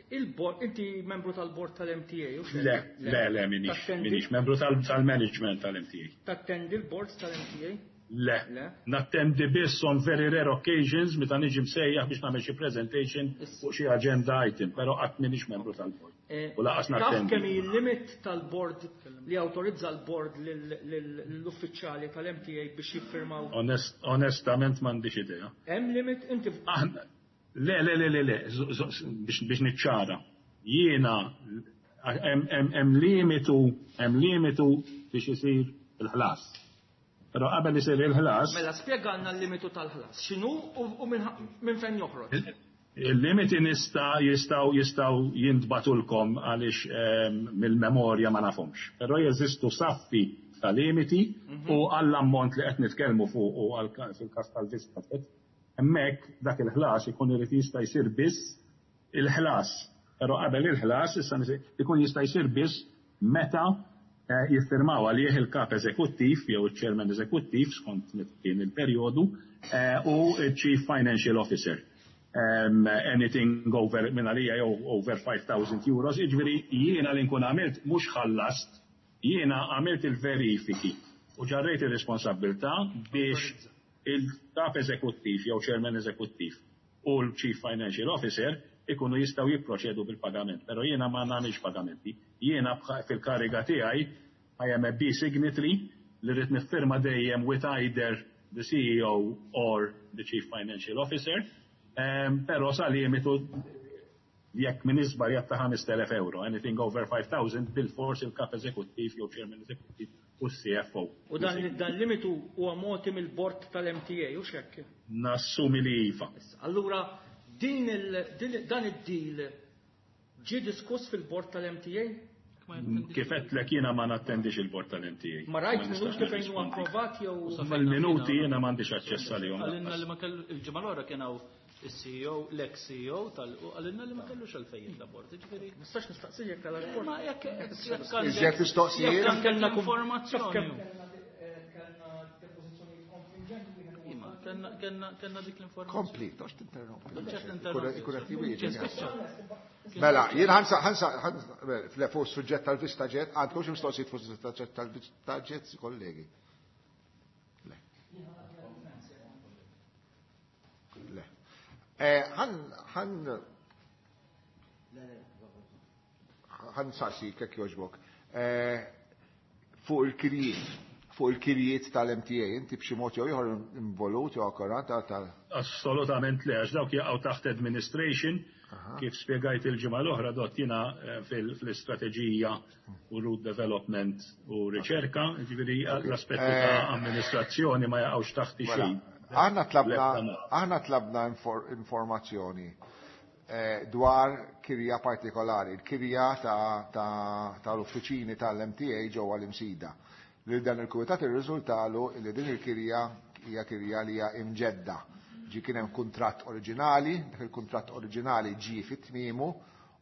Il-board, inti membru tal-board tal-MTA, u
Le, le, le, minix membru tal-management tal-MTA.
Tattendi l-board tal-MTA?
Le, nattendi biss on very rare occasions meta niġi msejjaħ biex nagħmel xi presentation fuq xi agenda item, però qatt minix membru tal-board. U lanqas
Taf
nattendi.
kemm il-limit tal-board li autorizza l-board l-uffiċjali tal-MTA biex jiffirmaw?
Onestament m'għandix idea.
Hemm limit inti
Aħna, le, le, le, le, le, biex niċċara. Jiena hemm limitu biex isir il-ħlas. Però qabel isir il-ħlas,
Mela spjegana l-limitu tal-ħlas. X'inhu u minn fejn joħroġ?
Il-limiti nista jistgħu jintbagħtulkom għaliex mill-memorja ma nafhomx. Però jeżistu saffi ta' limiti u għall-ammont li qed nitkellmu fuq u fil-każ tal-Vista, hemmhekk dak il-ħlas ikun irid jista' jsir biss il-ħlas. Però qabel il-ħlas issa ikun jista' jsir biss meta jiffirmaw għalih il-kap eżekuttiv jew il-chairman eżekuttiv skont kien il-perjodu u il-chief financial officer. Anything over minn għalija jew over €5,000, jiġifieri jiena li nkun għamilt mhux ħallast, jiena għamilt il-verifiki u ġarrejt il-responsabbiltà biex il-kap eżekuttiv jew chairman eżekuttiv u l-chief financial officer ikunu jistgħu jipproċedu bil-pagament. Però jiena ma nagħmilx pagamenti. Jiena fil-kariga tiegħi I am a B signatory li rrid niffirma dejjem with either the CEO or the chief financial officer. Però sa limitu jekk minn iżbarjat ta' €5,000, anything over 5,000 bil-fors il-kap eżekuttiv jew chairman eżekuttiv u CFO.
U dan limitu huwa mogħti mill-board tal-MTA, u xekk?
Nassumi li iva.
Allura dan id-deal ġie diskuss fil-board tal-MTA?
Kif għedtlek, jiena ma nattendix il-board tal-MTA.
Ma rajt
nistax
minuti fejn huwa
nirrispondi.
approvat jew
Mal-minuti jiena m'għandix aċċess għalihom.
Qalilna li ma kellu il-ġimgħa l-oħra kien hawn il-CEO, l-ex-CEO tal u qalilna li ma kellux għalfejn jitla' board. Ġifieri
Nistax nistaqsi jekk għal
Ma jekk
Iżjed mistoqsijiet?
Jekk kellna informazzjoni.
Kellna depożizzjonijiet konfliġenti.
Ima, kellna dik l-informazzjoni.
Kompli, toqgħodx tinterrompi.
Ċert interrompi.
Ikun qed jwieġeb.
Kien spiċċa.
Mela, jien ħansa fuq suġġett tal-Vista Jet, għandkom xi mistoqsijiet fuq suġġett tal-Vista Jet, kollegi? Le. Le. Ħa nsaqsi jekk jogħġbok. Fuq il-kirjiet tal-MTA, inti b'xi mod jew ieħor involut jew akkurat tal
Assolutament le, għax dawk jaqgħu taħt administration. Kif spjegajt il-ġimgħa l-oħra dott jiena fl-istrateġija u route development u riċerka, ġifieri l-aspetti ta' amministrazzjoni ma jaqgħux taħti
Mela,
xejn.
Aħna tlabna informazzjoni dwar kirja partikolari, il-kirja tal-uffiċini tal-MTA ġewwa l-Imsida. Li dan il-kumitat irriżultalu li din il-kirja hija kirja li hija imġedda. Ġi kien hemm kuntratt oriġinali, dak il-kuntratt oriġinali ġie fit-tmiemu,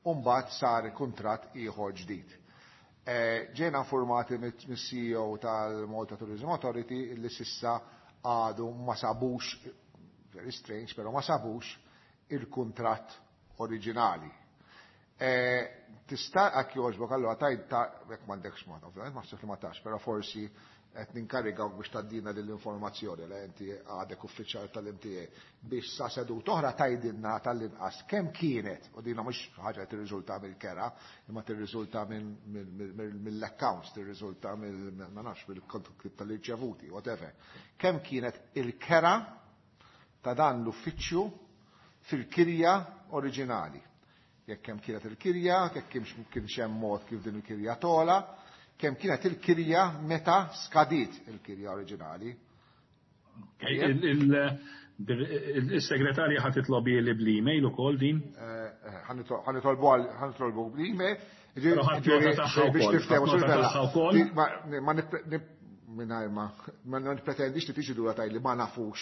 u mbagħad sar kuntratt ieħor ġdid. Ġejna informati mis-CEO tal-Malta Tourism Authority li s'issa għadu ma sabux, very strange, pero ma sabux il-kuntratt oriġinali. Tista' jekk jogħġbok allura tajt ta' jekk m'għandekx ma, ovvjament ma li ma tax, però forsi qed ninkarigawk biex tgħaddina din l-informazzjoni li inti għadek uffiċjal tal-MTA biex sa seduta oħra tgħidilna tal-inqas kemm kienet, u dina mhux ħaġa li tirriżulta mill-kera, imma tirriżulta mill-accounts, tirriżulta mill ma nafx mill-kont tal-irċevuti, whatever. Kemm kienet il-kera ta' dan l-uffiċċju fil-kirja oriġinali? Jekk kemm kienet il-kirja, jekk kienx hemm mod kif din il-kirja tola, kemm kienet il-kirja meta skadiet il-kirja oriġinali.
Il-segretarja ħa titlobi li bl-email ukoll din?
Ħa nitolbu bl-email.
Però ħadd nota tagħha
Biex
wkoll,
niftehmu,
ħadd nota
Sur Vella,
tagħha wkoll.
Ma nipretendix li tiġi dura tgħid li ma nafux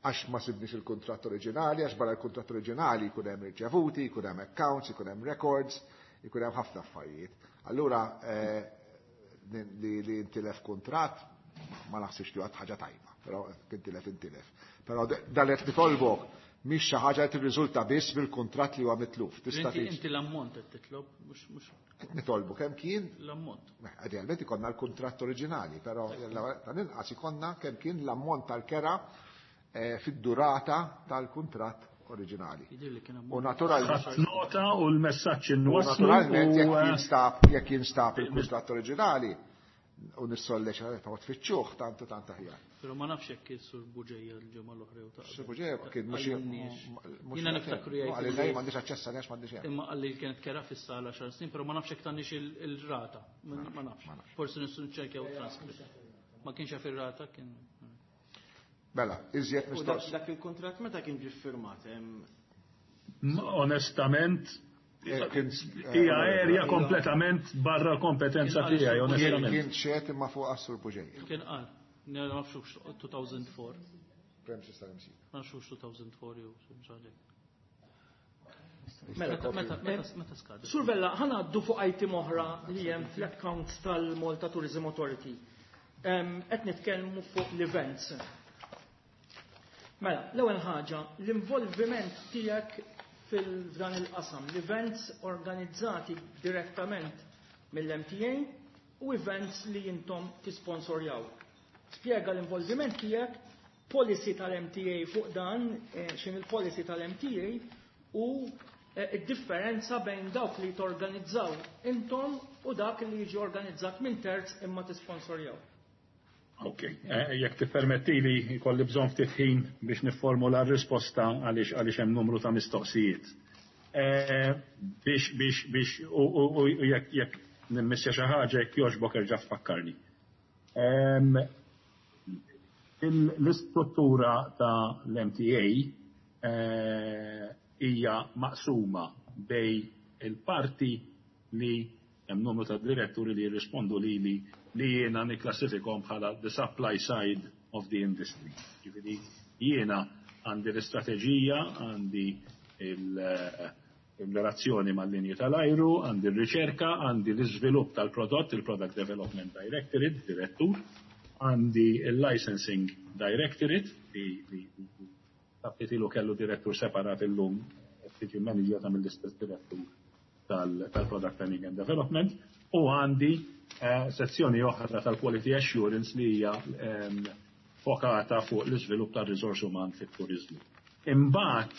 għax ma sibniex il-kuntratt oriġinali, għax barra il-kuntratt oriġinali jkun hemm irċevuti, jkun hemm accounts, jkun hemm records, jkun hemm ħafna affarijiet. Allura li intilef kuntratt ma naħsibx li għad ħaġa tajba, però intilef intilef. Però dan qed nitolbok mhix xi ħaġa li tirriżulta biss mill-kuntratt li huwa mitluf. Tista'
Inti
tiġi.
Inti l-ammont qed titlob, mhux
Qed nitolbu kemm kien
l-ammont.
Idealment ikonna l-kuntratt oriġinali, però tal-inqas ikonna kemm kien l-ammont tal-kera fid-durata tal-kuntratt oriġinali.
Jidir li kien
U
ammont.
naturalment
Ħadd nota u l-messaġġ
U
inwasslu
naturalment
u,
jekk jinstab il-kuntratt oriġinali u nissolleċ ta' tfittxuh tantu tant aħjar.
Però ma nafx jekk is-Sur Buġeja l-ġimgħa l-oħra jew ta'
Sur Buġeja kien mhux
Għallinniex.
mhux
Jiena niftakru jgħid
Għalli m'għandix aċċess għaliex m'għandix hemm.
Imma qalli li kienet kera fis-sala xar snin, però ma nafx jekk tagħniex il-rata. Ma nafx.
Ma nafx.
Forsi nistgħu niċċekkjaw transcript. Ma kienx jaf ir-rata kien.
Mela, iżjed
U dak
mistoqs.
dak il-kontrat meta kien ġie firmat?
Onestament,
Kien
hija area kompletament barra l-kompetenza
Kien
tiegħi,
qal-
onestament.
Kien xed imma fuq għas-Sur Buġeja.
Kien qal. Ma nafx 2004.
Premises tal-MC.
Ma nafx 2004 jew xi ħaġa.
Mela,
Meta skada?
Sur Vella, ħa ngħaddu fuq item oħra li hemm fl-accounts tal-Malta Tourism Authority. Qed nitkellmu fuq l-events. Mela, l-ewwel ħaġa, l-involviment tiegħek fil-dan il-qasam, l-events organizzati direttament mill-MTA u events li intom tisponsorjaw. Spjega l-involviment tiegħek, policy tal-MTA fuq dan, x'in il-policy tal-MTA u id-differenza bejn dawk li torganizzaw intom u dak li jiġi organizzat minn terz imma tisponsorjaw.
Ok, jekk tippermettili jkolli bżonn ftit ħin biex nifformula r-risposta għaliex hemm numru ta' mistoqsijiet. Biex u jekk nimmissja xi ħaġa jekk jogħġbok erġa' tfakkarni. L-istruttura ta' l-MTA hija maqsuma bejn il-parti li hemm numru ta' diretturi li jirrispondu lili li jiena nikklassifikhom bħala the supply side of the industry. Ġifieri jiena għandi l-istrateġija, għandi il-relazzjoni mal-linji tal-ajru, għandi r-riċerka, għandi l-iżvilupp tal-prodott, il-Product Development Directorate, direttur, għandi il-Licensing Directorate, li ilu kellu direttur separat illum, tiġi manager mill-istess direttur tal-Product Planning and Development, u għandi sezzjoni oħra tal-Quality Assurance li hija fokata fuq l-iżvilupp tal-riżors uman fit-turizmu. Imbagħad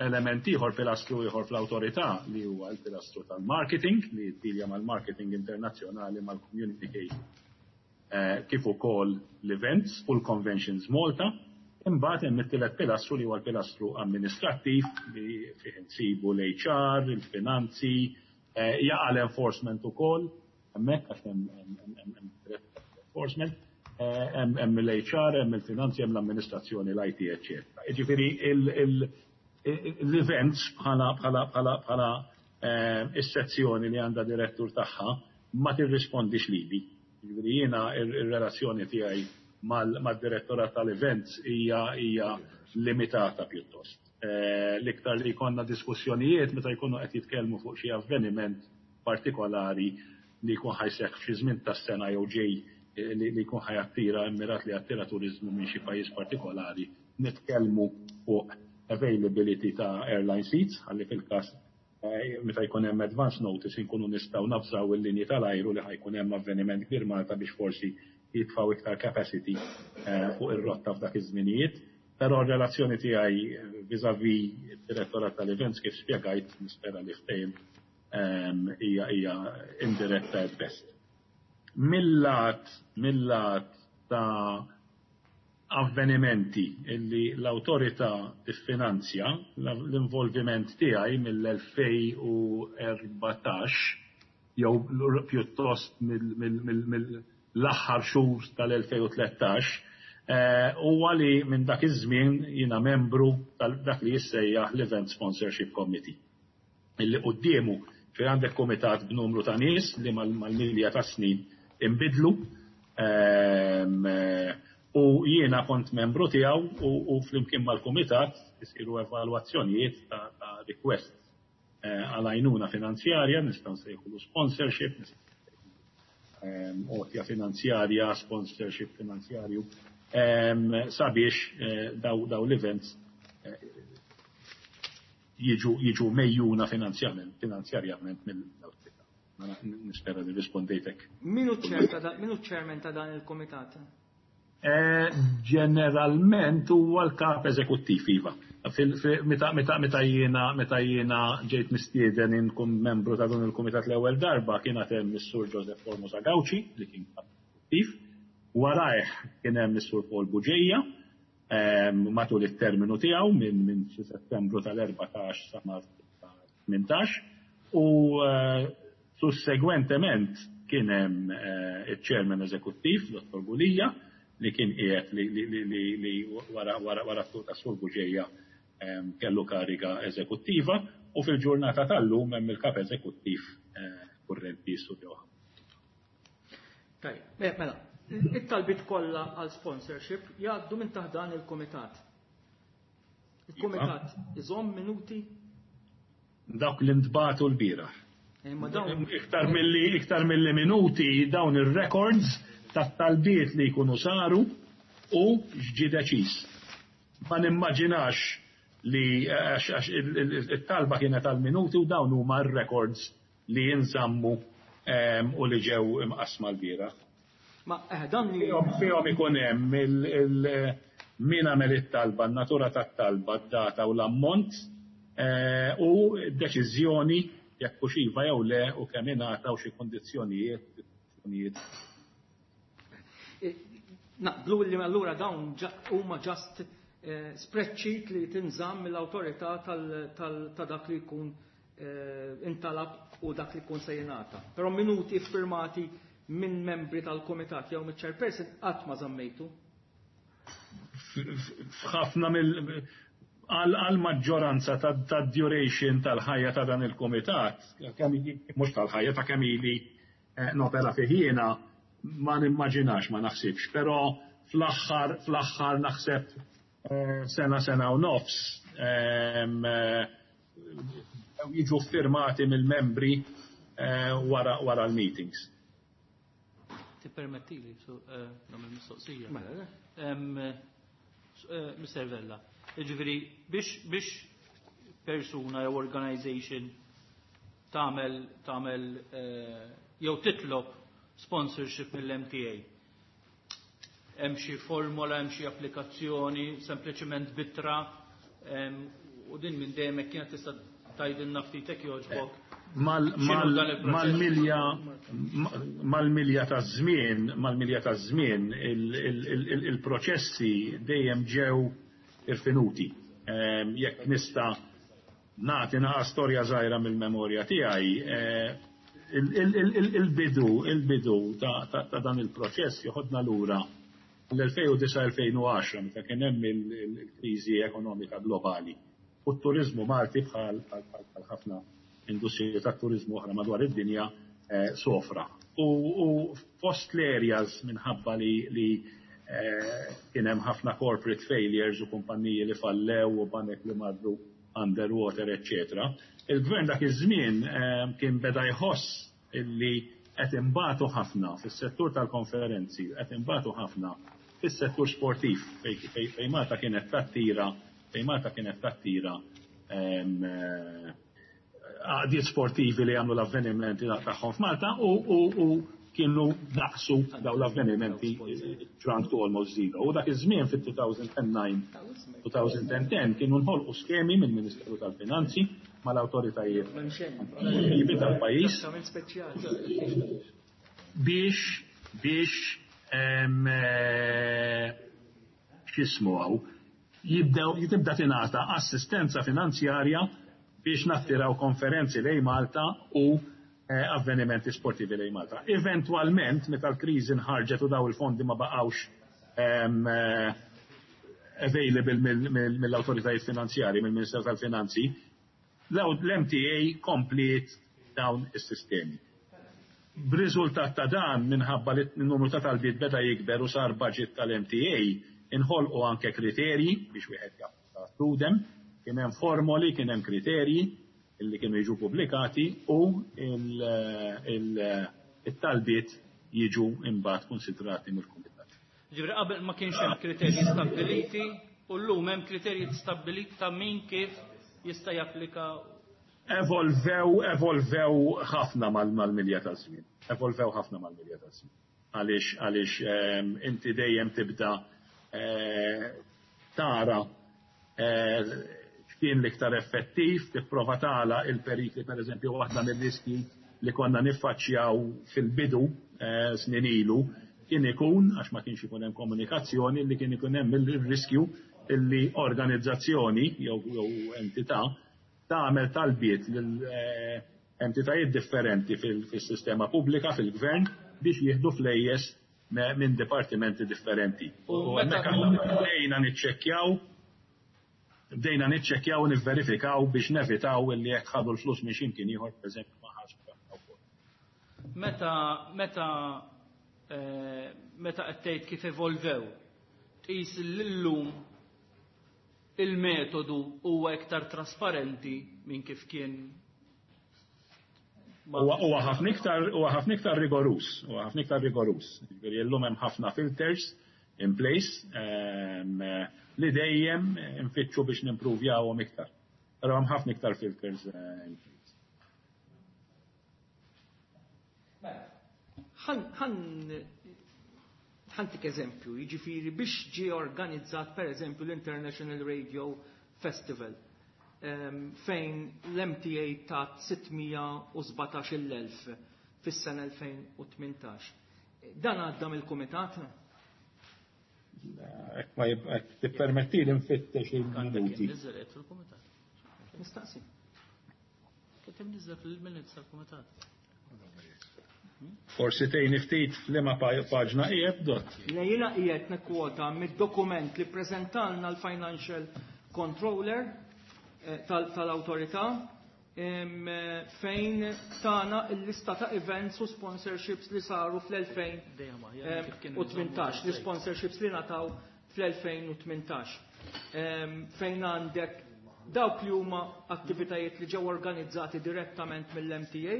element ieħor, pilastru ieħor fl-awtorità li huwa l-pilastru tal-marketing li jiddilja mal-marketing internazzjonali, mal-communication, kif ukoll l-events u l-conventions Malta. Imbagħad hemm it-tielet pilastru li huwa l-pilastru amministrattiv li fih insibu l-HR, il-finanzi, jaqa' l-enforcement ukoll, hemmhekk għax hemm enforcement, hemm l-HR, hemm il-finanzi, hemm l-amministrazzjoni, l-IT, eċċetera. Jiġifieri l-events bħala is-sezzjoni li għandha direttur tagħha ma tirrispondix lili. Jiġifieri jiena ir-relazzjoni tiegħi mad-direttorat tal-events hija limitata pjuttost. L-iktar li jkollna diskussjonijiet meta jkunu qed jitkellmu fuq xi avveniment partikolari li jkun ħa jseħħ f'xi żmien tas-sena jew ġej li jkun ħa jattira, immirat li jattira turiżmu minn xi pajjiż partikolari, nitkellmu fuq availability ta' airline seats, ħalli fil-każ meta jkun hemm advance notice inkunu nistgħu navżaw il-linji tal-ajru li ħa jkun hemm avveniment kbir Malta biex forsi jitfgħu iktar capacity fuq ir-rotta f'dak iż-żminijiet. Però r-relazzjoni tiegħi vis-à-vis id-direttorat tal-events, kif spjegajt, nispera li ftehim, hija indiretta at best. Mill-lat ta' avvenimenti illi l-awtorità tiffinanzja, l-involviment tiegħi mill-2014 jew pjuttost mill-aħħar xhur tal-2013 huwa li minn dak iż-żmien jiena membru tal-dak li jissejjaħ l-Event Sponsorship Committee. Illi quddiemu fejn għandek komitat b'numru ta' nies li mal-milja ta' snin imbidlu, u jiena kont membru tiegħu u flimkien mal-kumitat isiru evalwazzjonijiet ta' request għal għajnuna finanzjarja, nistgħu nsejħulu sponsorship, għotja finanzjarja, sponsorship finanzjarju, sabiex daw l-events jiġu megħjuna finanzjarjament mill-awtorità. Nispera li rispondejtek.
Min hu chairman ta' dan il-komitat?
Ġeneralment huwa l-kap eżekuttiv, iva. Meta jiena ġejt mistieden inkun membru ta' dan il-kumitat l-ewwel darba, kien hemm is-Sur Joseph Formosa Gauci li kien kap eżekuttiv. Warajh kien hemm is-Sur Paul Bugeja matul it-terminu tiegħu minn xi Settembru tal-14 sa Marzu tal-18 u sussegwentement kien hemm iċ-chairman eżekuttiv, Dottor Gulia, li kien qiegħed li wara t ta' Sur Bugeja kellu kariga eżekuttiva u fil-ġurnata tal-lum hemm il-kap eżekuttiv kurrenti, Sur Johan.
Tajjeb, mela, it-talbiet kollha għal sponsorship jgħaddu minn taħt dan il-kumitat. Il-kumitat iżomm minuti?
Dawk li ntbagħtu l-bieraħ.
Ma dawn
Iktar milli minuti, dawn ir-records tat-talbiet li jkunu saru u x'ġie deċiż. Ma nimmaġinax li għax it-talba kienet għal minuti u dawn huma r-records li jinżammu u li ġew imqasma l-bieraħ.
Ma dan li
Fihom ikun hemm min għamel it-talba, n-natura tat-talba, d-data u l-ammont u deċiżjoni jekk hux iva jew le u kemm ingħata u xi kondizzjonijiet.
Naqblu li allura dawn huma just spreadsheet li tinżamm mill-awtorità ta' dak li jkun intalab u dak li jkun se jingħata. Però minuti firmati minn membri tal-komitat jew mill-chairperson qatt ma żammejtu.
F'ħafna mill għal maġġoranza ta' duration tal-ħajja ta' dan il-komitat, mhux tal-ħajja, ta' kemm ili nopera fih jiena, ma nimmaġinax, ma naħsibx, però fl-aħħar naħseb sena, sena u nofs jiġu firmati mill-membri wara l-meetings.
Tippermettili, nagħmel mistoqsija.
Mela, le.
Mr. Vella, jiġifieri biex persuna jew organization tagħmel jew titlob sponsorship mill-MTA, hemm xi formola, hemm xi applikazzjoni, sempliċement b'ittra, u din minn dejjem hekk kienet, tista' tgħidilna ftit hekk jogħġbok?
Mal-milja ta' żmien, mal-milja ta' żmien, il-proċessi dejjem ġew irfinuti. Jekk nista' nagħti naqa' storja żgħira mill-memorja tiegħi, il-bidu ta' dan il-proċess joħodna lura l-2009-2010, meta kien hemm il-kriżi ekonomika globali. U t-turizmu Malti, bħal ħafna industrija tat-turizmu oħra madwar id-dinja, sofra. U fost l-areas, minħabba li kien hemm ħafna corporate failures u kumpanniji li fallew u banek li marru underwater, eccetera. Il-gvern dak iż-żmien kien beda jħoss illi qed imbatu ħafna fis-settur tal-konferenzi, qed imbatu ħafna fis-settur sportiv fejn Malta kienet tattira għaqdiet sportivi li għamlu l-avvenimenti tagħhom f'Malta u kienu naqsu daw l-avvenimenti, shrunk to almost zero. U dak iż-żmien fit-2009, 2010 kienu nħolqu skemi minn Ministeru tal-Finanzi mal-awtoritajiet tal-pajjiż biex x'jismu hawn jibdew jibda tingħata assistenza finanzjarja biex nattiraw konferenzi lejn Malta u avvenimenti sportivi lejn Malta. Eventualment, meta l-kriżi nħarġet u daw il-fondi ma baqgħux available mill-autoritajiet finanzjari, mill-Ministeru tal-Finanzi, l-MTA kompliet dawn is-sistemi. B'riżultat ta' dan, minħabba li n-numru ta' talbiet beda jikber u sar budget tal-MTA, inħolqu anke kriterji biex wieħed jagħmel, kien hemm formoli, kien hemm kriterji illi kienu jiġu pubblikati u il-talbiet jiġu imbagħad konsidrati mill-kumitat.
Ġifieri qabel ma kienx hemm kriterji stabbiliti u llum hemm kriterji stabbiliti ta' min kif jista' japplika.
Evolvew ħafna mal-milja ta' żmien. Evolvew ħafna mal-milja ta' żmien. Għaliex inti dejjem tibda tara x'kien l-iktar effettiv, tipprova tagħlaq il-perikli. Per eżempju, waħda mir-riski li konna niffaċċjaw fil-bidu snin ilu kien ikun, għax ma kienx ikun hemm komunikazzjoni, li kien ikun hemm il-riskju illi organizzazzjoni jew entità tagħmel talbiet lil entitajiet differenti fil-sistema pubblika, fil-gvern, biex jieħdu flejjes minn dipartimenti differenti. U hemmhekk aħna bdejna niċċekkjaw u nivverifikaw biex nevitaw illi jekk ħadu l-flus minn x'imkien ieħor, pereżempju, ma ħax.
Meta qed tgħid kif evolvew, tqis l-lum il-metodu huwa iktar trasparenti minn kif kien?
Huwa ħafna iktar rigorus, huwa ħafna iktar rigorus. Ġifieri llum hemm ħafna filters in place li dejjem nfittxu biex nimpruvjawhom iktar. Però hemm ħafna iktar filters in place.
Ħa ntik eżempju, jiġifieri biex ġie organizzat, per eżempju, l-International Radio Festival fejn l-MTA tat 617,000 fis-sena 2018. Dan għadda mill-kumitat?
Jekk ma jekk tippermetti li nfittex il-minuti.
Niżel fil-kumitat.
Nistaqsi.
Kien imniżżel fil-minutes tal-kumitat.
Forsi tgħinni ftit f'liema paġna qiegħed, Dott.
Le, jiena qiegħed nikkwota mid-dokument li preżentalna l-Financial Controller tal-awtorità fejn tana l-lista ta' events u sponsorships li saru fl-2018, li sponsorships li ngħataw fl-2018. Fejn għandek dawk li huma attivitajiet li ġew organizzati direttament mill-MTA,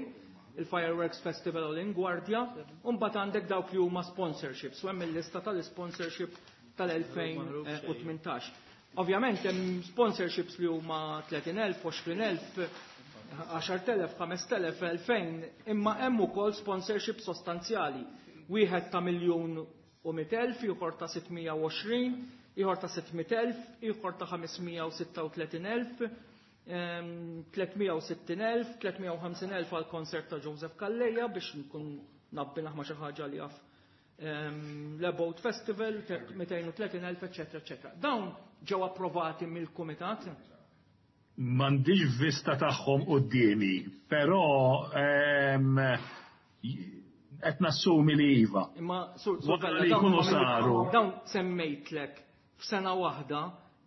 il-Fireworks Festival u l-Inguardia, u mbagħad għandek dawk li huma sponsorships, u hemm il-lista tal-sponsorship tal-2018. Ovvjament hemm sponsorships li huma 30,000, 20,000, 10,000, 5,000, 2000, imma hemm ukoll sponsorship sostanzjali. Wieħed ta' 1,100,000, ieħor ta' 620, ieħor ta' 600,000, ieħor ta' 536,000. 360,000, 350,000 għal konsert ta' Joseph Calleja biex nkun nabbinaħ ma' xi ħaġa li jaf l-About Festival, 230,000, eccetera, eccetera. Dawn ġew approvati mill-Kumitat?
M'għandix vista tagħhom quddiemi, però qed nassumi li iva.
Imma sur
Wara li jkunu saru.
Dawn semmejtlek f'sena waħda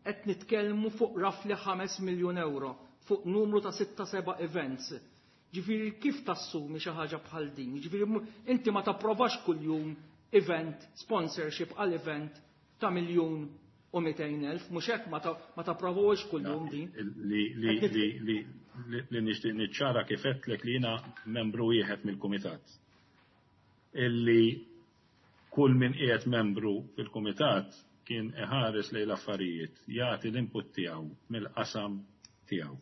qed nitkellmu fuq roughly 5 miljun euro fuq numru ta' 6-7 events. Ġifieri kif tassumi xi ħaġa bħal din? Ġifieri inti ma tapprovax kuljum event, sponsorship għal event ta' 1,200,000, mhux hekk ma tapprovawx kuljum din.
Li nixtieq niċċara kif għedtlek li jiena membru wieħed mill-kumitat. Illi kull min qiegħed membru fil-kumitat kien iħares lejn l-affarijiet, jagħti l-input tiegħu mill-qasam tiegħu.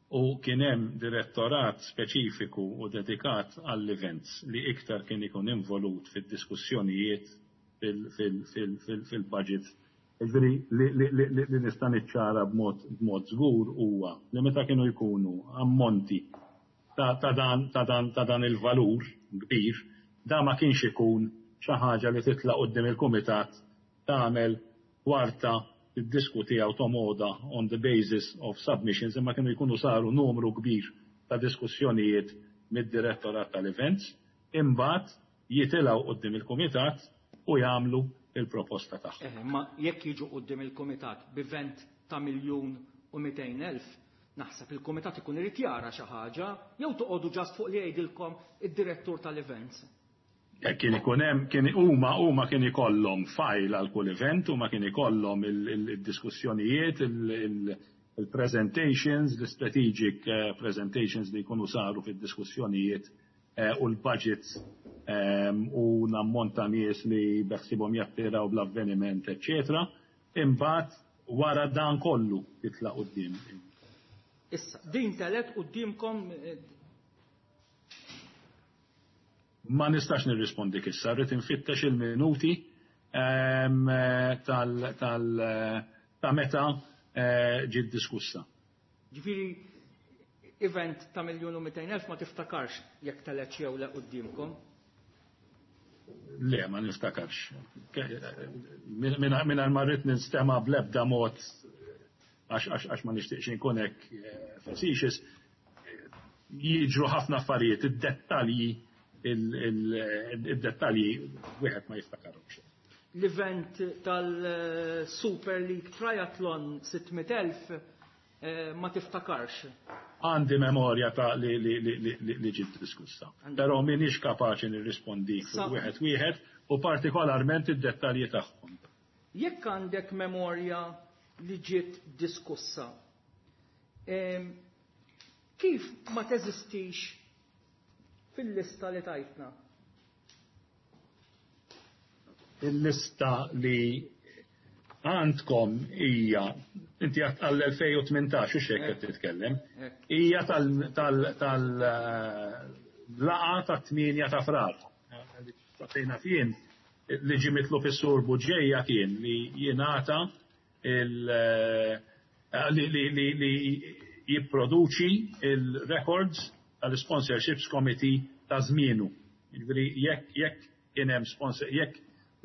U kien hemm direttorat speċifiku u dedikat għall-events li iktar kien ikun involut fid-diskussjonijiet fil-budget. Ġifieri li nista' niċċara b'mod żgur huwa li meta kienu jkunu ammonti ta' dan il-valur kbir, da ma kienx ikun xi ħaġa li titla' quddiem il-kumitat tagħmel kwarta tiddiskuti għaw tomoda on the basis of submissions, imma kienu jkunu saru numru kbir ta' diskussjonijiet mid-direttorat tal-events, imbagħad jitilgħu quddiem il-kumitat u jagħmlu il-proposta tagħhom.
Ma jekk jiġu quddiem il-kumitat b'event ta' 1,200,000, naħseb il-kumitat ikun irid jara xi ħaġa, jew toqgħodu ġast fuq li jgħidilkom id-direttur tal-events.
Kien ikun hemm, kien huma kien ikollhom file għal kull event, huma kien ikollhom il-diskussjonijiet, il-presentations, l-strategic presentations li jkunu saru fid-diskussjonijiet u l-budgets u l-ammont ta' nies li beħsibhom jattiraw bl-avveniment, eccetera. Imbagħad wara dan kollu titla' quddiem.
Issa, din telet quddiemkom.
Ma nistax nirrispondi issa, rrid infittex il-minuti ta' meta ġiet diskussa.
Ġifieri event ta' 1,200,000 ma tiftakarx jekk telet jew le quddiemkom?
Le, ma niftakarx. Mingħajr ma rrid ninstema' bl-ebda mod għax ma nixtieqx inkun hekk facetious, jiġru ħafna affarijiet, id-dettalji wieħed ma jiftakarhomx.
L-event tal-Super League Triathlon 600,000 ma tiftakarx?
Għandi memorja ta' li ġiet diskussa. Però m'iniex kapaċi nirrispondi fuq wieħed wieħed u partikolarment id-dettalji tagħhom.
Jekk għandek memorja li ġiet diskussa, kif ma teżistix fil-lista li tajtna?
Il-lista li għandkom hija, inti għad għall-2018, u xek qed titkellem, hija tal-laqa ta' 8 ta' Frar. Fejna fien li ġie mitlub is-Sur Buġeja kien li jingħata li jipproduċi il-records tal-Sponsorships Committee ta' żmienu. Jiġifieri jekk kien hemm sponsor, jekk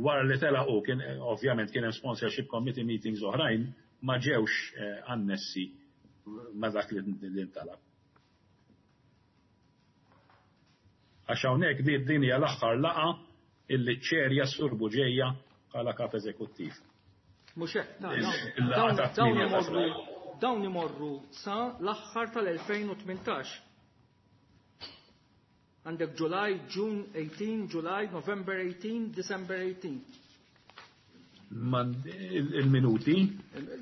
wara li telaqu kien ovvjament kien hemm sponsorship committee meetings oħrajn ma ġewx annessi ma dak li ntalab. Għax hawnhekk din hija l-aħħar laqa illi ċerja s-Sur Buġeja bħala kap eżekuttiv.
Mhux hekk,
Il-laqa ta' tmienja ta' Frar.
dawn imorru sa l-aħħar tal-2018. Għandek July, June 18, July, November 18, December 18.
Il-minuti?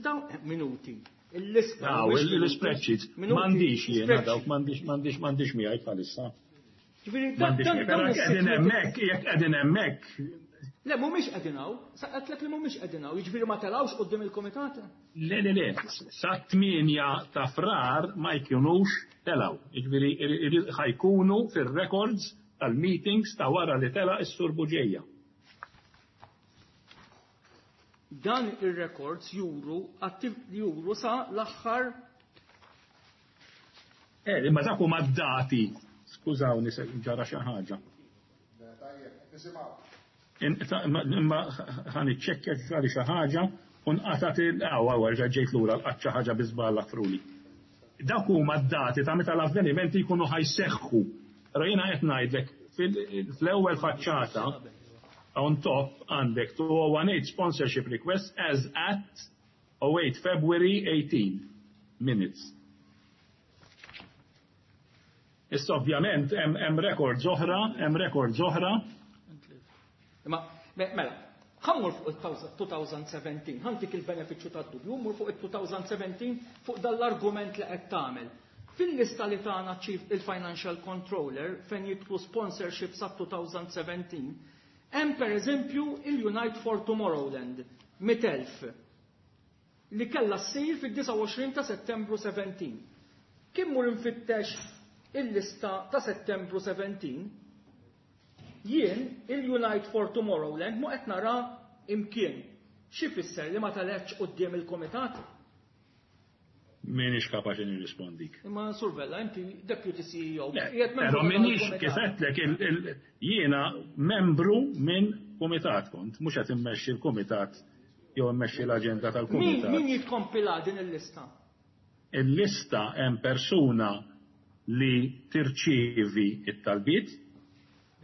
Dawn minuti. Il-lista.
Aw, il-spreadsheets.
Minuti.
M'għandix jiena
Spreadsheet.
dawk, m'għandix miegħi bħalissa.
Ġifieri,
M'għandix miegħi,
dawn
però jekk qegħdin
is-sitt
hemmhekk, jekk qegħdin hemmhekk.
Le, mhumiex qegħdin hawn. Sa qedlek li mhumiex qegħdin hawn. Jiġifieri ma telgħux quddiem il-kumitat?
Le, le, le. Sa 8 ta' Frar ma jkunux telgħu. Jiġifieri ħajkunu fir-records tal-meetings ta' wara li tela' is-Sur Buġeja.
Dan ir-records juru sa l-aħħar
Imma dak huma d-dati. Skużawni se ġara xi ħaġa.
Tajjeb, nisimgħu.
Imma ħa niċċekkja ġara xi ħaġa u nqatat il-qawwa werġa' ġejt lura lqatt xi ħaġa bi żball aħfruli. Dawk huma d-dati ta' meta l-avvenimenti jkunu ħa jseħħu. Però jiena qed ngħidlek fl-ewwel faċċata on top għandek 2018 sponsorship request as at 08 February 18 minutes. Issa ovvjament hemm records oħra, hemm records oħra.
Imma mela, ħa mmur fuq il-2017, ħa ntik il-benefiċċju tad-dubju, mmur fuq il-2017 fuq dal-argument li qed tagħmel. Fil-lista li tagħna Chief il-Financial Controller fejn jidħlu sponsorship sa 2017, hemm pereżempju il-Unite for Tomorrowland, 100,000 li kellha ssir fid-29 ta' Settembru 17. Kien mur infittex il-lista ta' Settembru 17, jien il-Unite for Tomorrowland mu qed nara imkien. Xi fisser li ma telgħetx quddiem il-komitat?
Minix kapaċi nirrispondik.
Imma Sur Vella, inti Deputy CEO.
Però minix kif għedtlek jiena membru minn komitat kont, mhux qed immexxi l-komitat jew immexxi l-aġenda tal-komitat.
Min jikkompila din il-lista?
Il-lista hemm persuna li tirċievi it-talbiet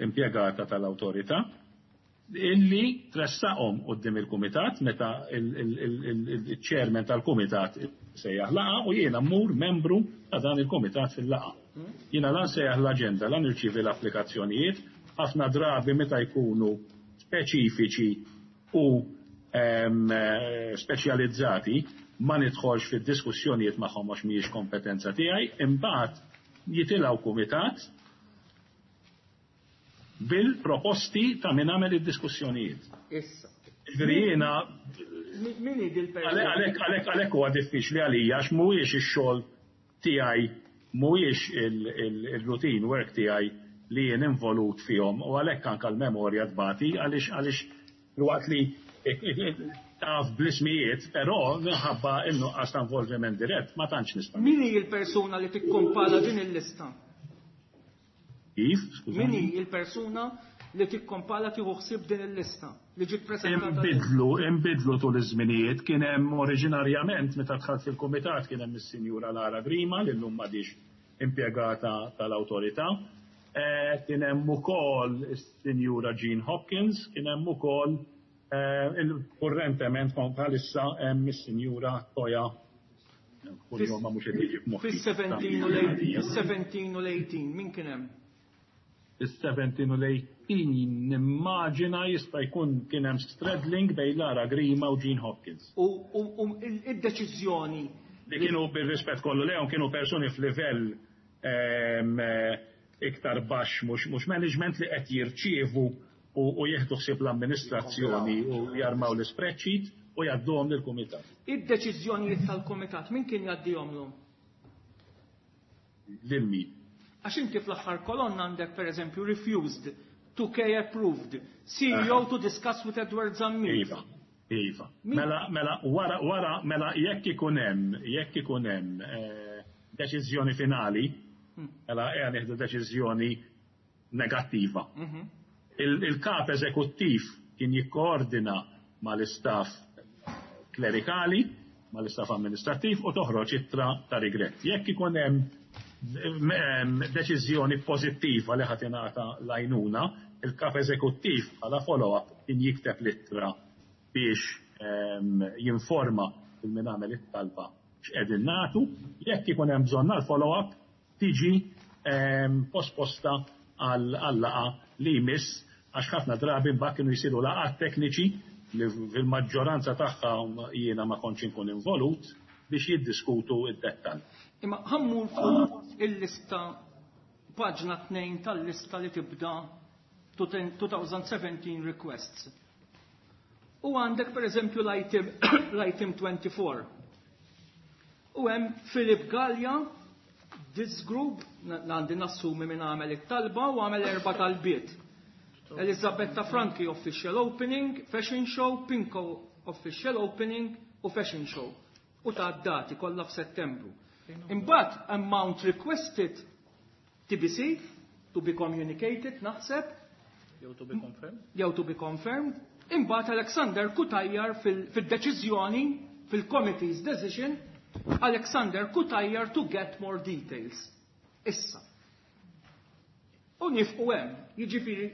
impjegata tal-awtorità illi tressaqhom quddiem il-kumitat meta il-chairman tal-kumitat sejjaħ laqgħa u jiena mmur membru ta' dan il-kumitat fil-laqgħa. Jiena lan sejjaħ l-aġenda, lan irċievi l-applikazzjonijiet, ħafna drabi meta jkunu speċifiċi u speċjalizzati ma nidħolx fid-diskussjonijiet magħhom għax mhijiex kompetenza tiegħi, imbagħad jitilgħu kumitat bil-proposti ta' min għamel id-diskussjonijiet.
Issa.
Ġifieri jiena
Min hi dil-persuna?
Għalhekk huwa diffiċli għalija għax mhuwiex ix-xogħol tiegħi, mhuwiex il-routine work tiegħi li jien involut fihom u għalhekk anke l-memorja tbati għaliex waqt li taf bl-ismijiet, però minħabba in-nuqqas ta' involviment dirett ma tantx nista'.
Min hi l-persuna li tikkompala din il-lista?
Kif? Skużani.
Min hi l-persuna li tikkompala tieħu ħsieb din il-lista li ġiet preżentata?
Imbidlu tul iż-żminijiet, kien hemm oriġinarjament meta dħalt fil-kumitat kien hemm is-Sinjura Lara Grima li llum m'għadix impjegata tal-awtorità. Kien hemm ukoll is-Sinjura Jean Hopkins, kien hemm ukoll il-kurrentement bħalissa hemm is-Sinjura Toja. Kuljum ma mhux qed jiġi f'moħħi.
Fis-17 u l-18 min kien hemm?
Is-17 u l-18 nimmaġina jista' jkun kien hemm straddling bejn Lara Grima u Jean Hopkins.
U id-deċiżjoni
li kienu bir-rispett kollu lejhom kienu persuni f'livell iktar baxx mhux management li qed jirċievu u jieħdu ħsieb l-amministrazzjoni u jarmaw l-spreadsheet u jgħadduhom lill-kumitat.
Id-deċiżjonijiet tal-kumitat min kien jgħaddihomlhom?
Lil min?
Għax inti fl-aħħar kolonna għandek pereżempju refused, 2K approved, CEO to discuss with Edward Zammit.
Iva, iva. Mela, mela, wara, wara, mela jekk ikun hemm, jekk ikun hemm deċiżjoni finali, mela qiegħda nieħdu deċiżjoni negattiva. Il-kap eżekuttiv kien jikkoordina mal-istaff klerikali, mal-istaff amministrattiv u toħroġ ittra ta' regret. Jekk ikun hemm deċiżjoni pożittiva li ħadd ingħata l-għajnuna, il-kap eżekuttiv bħala follow-up kien jikteb l-ittra biex jinforma il min għamel it-talba x'qegħdin nagħtu, jekk ikun hemm bżonn għal follow-up tiġi posposta għal-laqgħa li jmiss għax ħafna drabi mbagħad kienu jsiru laqgħat tekniċi li fil-maġġoranza tagħha jiena ma kontx inkun involut biex jiddiskutu id-dettall.
Imma ħa mmur fuq il-lista paġna 2 tal-lista li tibda 2017 requests. U għandek per eżempju l-item 24. U hemm Philip Gallia, this group, għandi nassumi minn għamel it-talba u għamel 4 talbiet. Elisabetta Franchi official opening, fashion show, Pinco official opening u fashion show. U ta' dati kollha f'Settembru. Imbagħad amount requested TBC, to be communicated, naħseb.
Jew to be confirmed.
Jew to be confirmed. Imbagħad Alexander Cutajar fil-deċiżjoni, fil-committee's decision, Alexander Cutajar to get more details. Issa. U nieqfu hemm, jiġifieri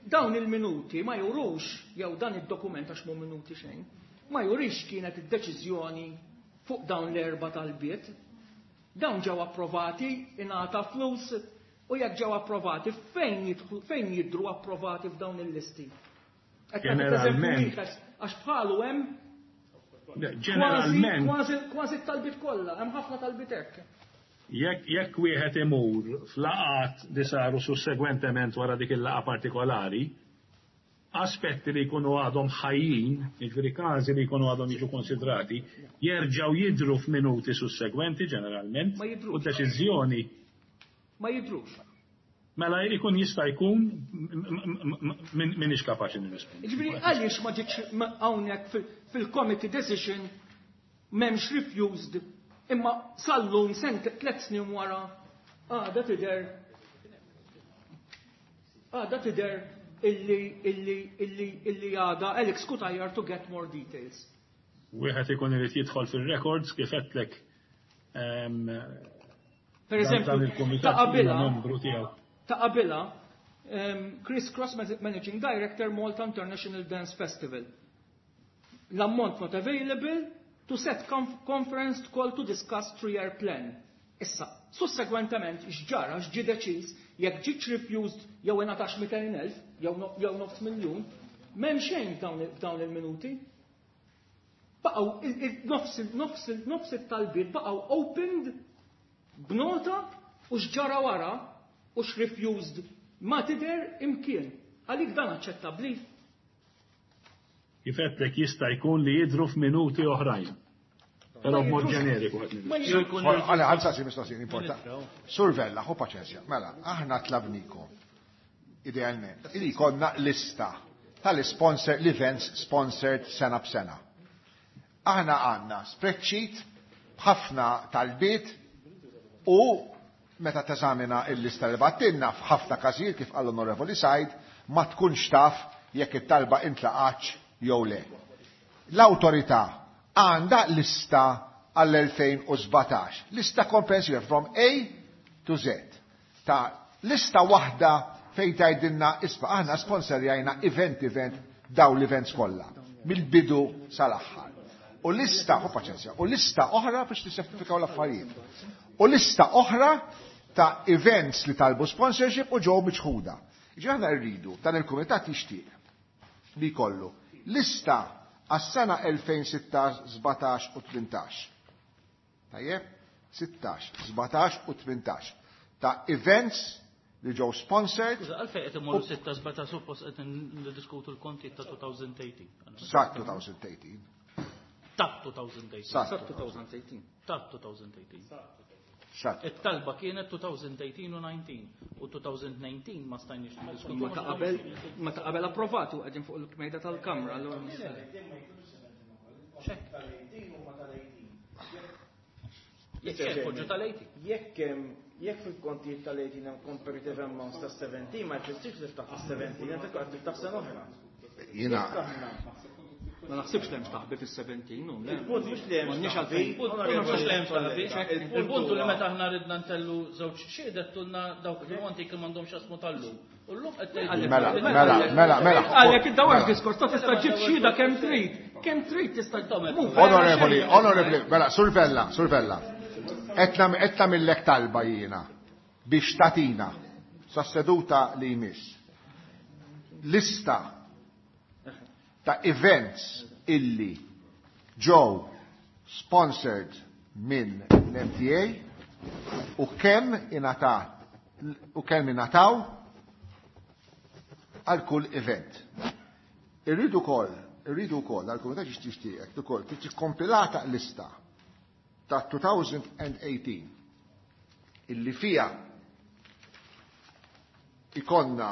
dawn il-minuti ma jurux, jew dan id-dokument għax mhu minuti xejn, ma jurix kienet id-deċiżjoni fuq dawn l-erba' talbiet. Dawn ġew approvati, ingħata flus, u jekk ġew approvati, fejn jidhru approvati f'dawn il-listi?
Ġeneralment.
Għax bħalu hemm
Ġeneralment.
Kważi t-talbiet kollha, hemm ħafna talbiet hekk.
Jekk wieħed imur f'laqgħat li saru sussegwentement wara dik il-laqgħa partikolari, aspetti li jkunu għadhom ħajjin, jiġifieri każi li jkunu għadhom jiġu konsidrati, jerġgħu jidhru f'minuti sussegwenti ġeneralment u deċiżjoni.
Ma jidhrux.
Mela jkun jista' jkun minix kapaċi nirrispondi.
Jiġifieri għaliex ma ġietx hawnhekk fil-committee decision m'hemmx refused imma sal-lum sent 3 snin wara għadha tidher għadha tidher illi illi illi illi għadha Alex Cutajar to get more details.
Wieħed ikun irid jidħol fir-records kif għedtlek.
Per eżempju, ta' qabilha ta' qabilha Chris Cross Managing Director Malta International Dance Festival. L-ammont not available to set conference call to discuss 3-year plan. Issa, sussegwentement, x'ġara, x'ġie deċiż, jekk ġietx refused jew ingħatax 200,000 jew nofs miljun, m'hemm xejn f'dawn il-minuti. Baqgħu nofs it-talbiet baqgħu opened b'nota u x'ġara wara u x'refused ma tidher imkien. Għalik dan aċċettabbli?
Kif għedtlek jista' jkun li jidhru f'minuti oħrajn. Però b'mod ġeneriku qed nidħol.
Għale, għal saqsi mistoqsija importanti. Sur Vella, ħu paċenzja. Mela, aħna tlabnikom idealment li jkollna lista tal-sponsor, l-events sponsored sena b'sena. Aħna għandna spreadsheet b'ħafna talbiet u meta teżamina il-lista li bgħattilna f'ħafna każijiet kif qal l-Onorevoli Said ma tkunx taf jekk it-talba intlaqatx jew le. L-awtorità għandha lista għall-2017, lista komprensiva from A to Z, ta' lista waħda fejn tgħidilna isma' aħna sponsorjajna event event daw l-events kollha, mill-bidu sal-aħħar. U lista, ħu paċenzja, u lista oħra biex tissemplifikaw l-affarijiet. U lista oħra ta' events li talbu sponsorship u ġew miċħuda. Ġi aħna rridu, dan il-kumitat jixtieq li jkollu lista għas-sena 2016, 17 u 18. Tajjeb? 16, 17 u 18 ta' events li ġew sponsored.
Skuża, għalfejn qed imorru 6, 17 suppost qed niddiskutu l-konti ta' 2018.
Sa' 2018.
Ta' 2018.
Sa'
2018.
Ta' 2018.
Sa'
It-talba kienet 2018 u 19 u 2019 ma stajniex niddiskutu.
Ma ta' qabel, ma ta' qabel approvatu qegħdin fuq il-mejda tal-Kamra, allura ma
Jekk hemm poġġu tal-18.
Jekk hemm, jekk fil-kontijiet tal-18 hemm comparative amounts ta' 17, ma jfissirx li ftaħ 17, inti qed tiftaħ sena oħra.
Jiena
Ma naħsibx li hemm taħbi fis-17, u le.
Il-punt mhux li hemm
M'għandniex
taħbi.
għalfejn.
Il-punt mhux li hemm taħbi. Il-punt li meta aħna ridna ntellu żewġ xiedet tulna dawk il-monti kien m'għandhomx jasmu tal-lum. U llum qed tgħidu.
Mela, mela, mela, mela.
Għalhekk id-dawar diskors ta' tista' ġib xhieda kemm trid. Kemm trid tista' tagħmel.
Onorevoli, onorevoli, mela, Sur Vella, Sur Vella. Qed nagħmillek talba jiena biex tatina sa seduta li jmiss. Lista ta' events illi ġew sponsored minn l-MTA u kemm ingħatat u kemm ingħataw għal kull event. Irridu wkoll, irridu wkoll għal kumitat jixtieq ukoll tiġi kompilata lista ta' 2018 illi fija ikonna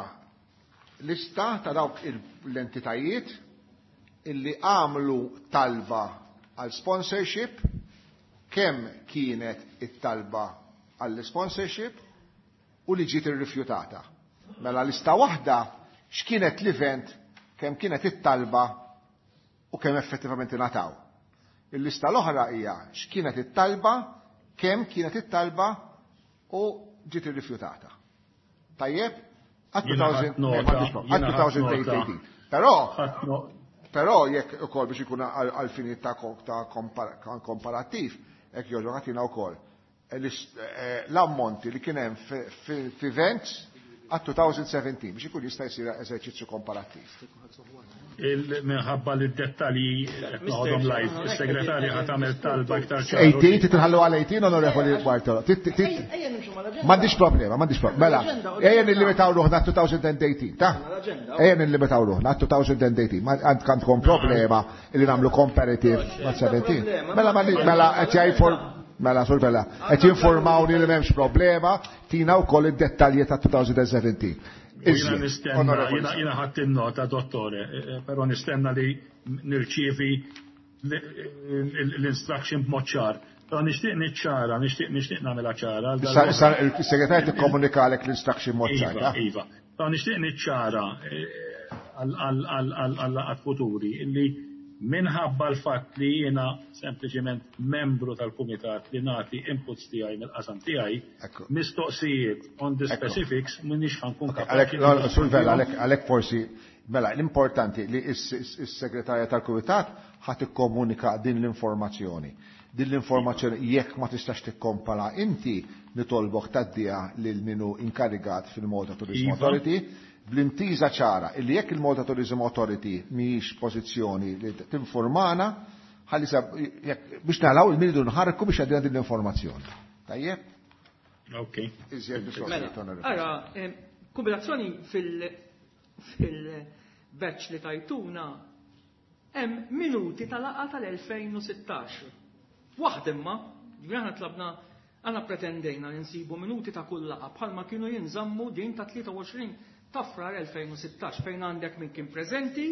lista ta' dawk l-entitajiet illi għamlu talba għal sponsorship, Kemm kienet it-talba għall-sponsorship u li ġiet irrifjutata. Mela lista waħda x'kienet l-event, kemm kienet it-talba u kemm effettivament ingħataw. Il-lista l-oħra hija x'kienet it-talba, kemm kienet it-talba u ġiet irrifjutata. Tajjeb? Għat
Jiena ħadt nota, jiena ħadt
2018.
nota.
Però,
Ħadd no-
però jekk ukoll biex ikun għal-fini ta' komparattiv, jekk jogħġbok agħtina wkoll l-ammonti li kien hemm f'events għat 2017 biex ikun jista' jsir eżerċizzju komparattiv.
Minħabba li d-dettalji qed noħodhom live, is-segretarja ħa tagħmel talba iktar ċara.
18, titħallu għal 18, onorevoli Bartolo.
Ejja nimxu mal-aġenda.
M'għandix problema, m'għandix problema. Mela, ejja nillimitaw ruħna 2018, ta?
Mal-aġenda.
Ejja nillimitaw ruħna 2018. Ma għandkom problema li nagħmlu comparative ma' 17. Mela mela qed jgħid mela sur Vella, qed jinformawni li m'hemmx problema, tina wkoll id-dettalji ta' 2017.
Jiena
Iżjed,
nistenna,
onorevoli.
jiena ħadd in-nota, dottore, però nistenna li nirċievi l-instruction b'mod ċar. Però nixtieq niċċara, nixtieq nagħmilha ċara. għal
Issa
darba-
issa il-segretarju tikkomunikalek l-instruction mod ċar,
Iva,
ta?
iva. Però nixtieq niċċara għal futuri illi minħabba l-fatt li jiena sempliċement membru tal-kumitat li nagħti inputs tiegħi mill-qasam tiegħi,
Ekku.
mistoqsijiet on the
Ekku.
specifics m'iniex ħankun
Għalek,
kapaċi.
no, Sur Vella, għalek forsi, mela, l-importanti li is-segretarja tal-Kumitat ħat ikkomunika din l-informazzjoni. Din l-informazzjoni jekk ma tistax tikkompara inti nitolbok tgħaddiha lil minu inkarigat fil-Malta Tourism
Iva.
Authority bl-intiża ċara illi jekk il-Malta Tourism Authority mhijiex pożizzjoni li tinformana ħalli jekk biex naraw il-minidu nħarku biex għaddina din l-informazzjoni. Tajjeb?
Ok.
Iżjed
Mela,
mistoqsijiet, onorevoli.
ara, kombinazzjoni fil-batch li tajtuna hemm minuti tal-laqgħa tal-2016. Waħda imma, ġifieri aħna tlabna aħna pretendejna li nsibu minuti ta' kull laqgħa bħalma kienu jinżammu din ta' 23 ta' frar 2016 fejn għandek min kien preżenti,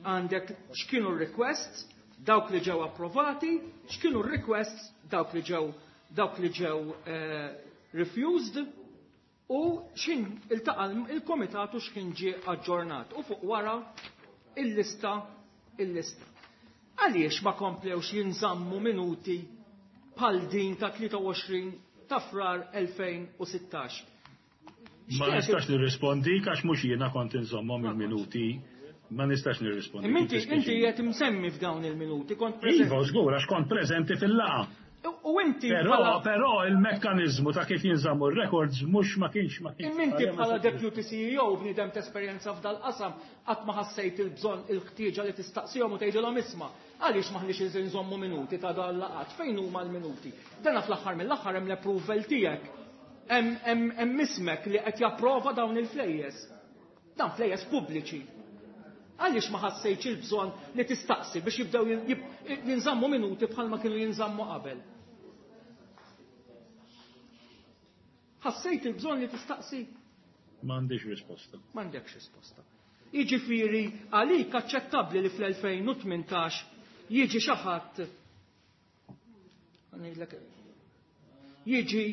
għandek x'kienu r-requests, dawk li ġew approvati, x'kienu r-requests, dawk li ġew dawk li ġew refused u x'in iltaqa' il-komitat u x'kien ġie aġġornat u fuq wara il-lista il-lista. Għaliex ma komplewx jinżammu minuti bħal din ta' 23 ta' frar 2016?
Ma nistax nirrispondi għax mhux jiena kont inżommhom il-minuti. Ma nistax nirrispondi.
Imma inti inti qed imsemmi f'dawn il-minuti kont preżenti.
Iva, żgur, għax kont preżenti fil-laqgħa.
U inti
Però,
bħala
però il-mekkanizmu ta' kif jinżammu r-records mhux ma kienx ma kienx.
Imma inti bħala deputy CEO bniedem ta' esperjenza f'dal-qasam qatt ma ħassejt il-bżonn il-ħtieġa li tistaqsihom u tgħidilhom isma' għaliex maħniex inżommu minuti ta' dan laqat, fejn huma l-minuti? Dana fl-aħħar mill-aħħar hemm l-approval tiegħek. Hemm ismek li qed japprova dawn il-flejjes. Dan flejjes pubbliċi. Għaliex ma ħassejtx il-bżonn li tistaqsi biex jibdew jinżammu minuti bħalma kienu jinżammu qabel? Ħassejt il-bżonn li tistaqsi?
M'għandix risposta.
M'għandekx risposta. Jiġifieri għalik aċċettabbli li fl-2018 jiġi xi ħadd ngħidlek jiġi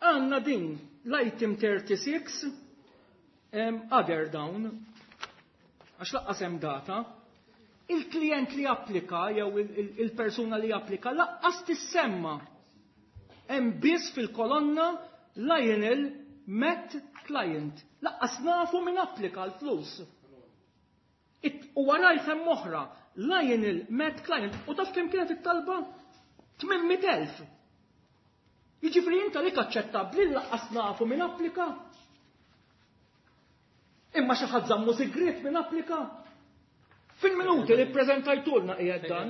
għandna din l-item 36 other down għax laqqas hemm data il-klient li applika jew il-persuna li applika laqqas tissemma hemm biss fil-kolonna Lionel Met Client. Laqqas nafu min applika l-flus. U warajt hemm oħra, Lionel Met Client. U taf kemm kienet it-talba? 800,000. Jiġifieri inta lik aċċettabbli laqqas nafu min applika. Imma xi ħadd żammu sigriet min applika. Fil-minuti li ppreżentajtulna qiegħed dan.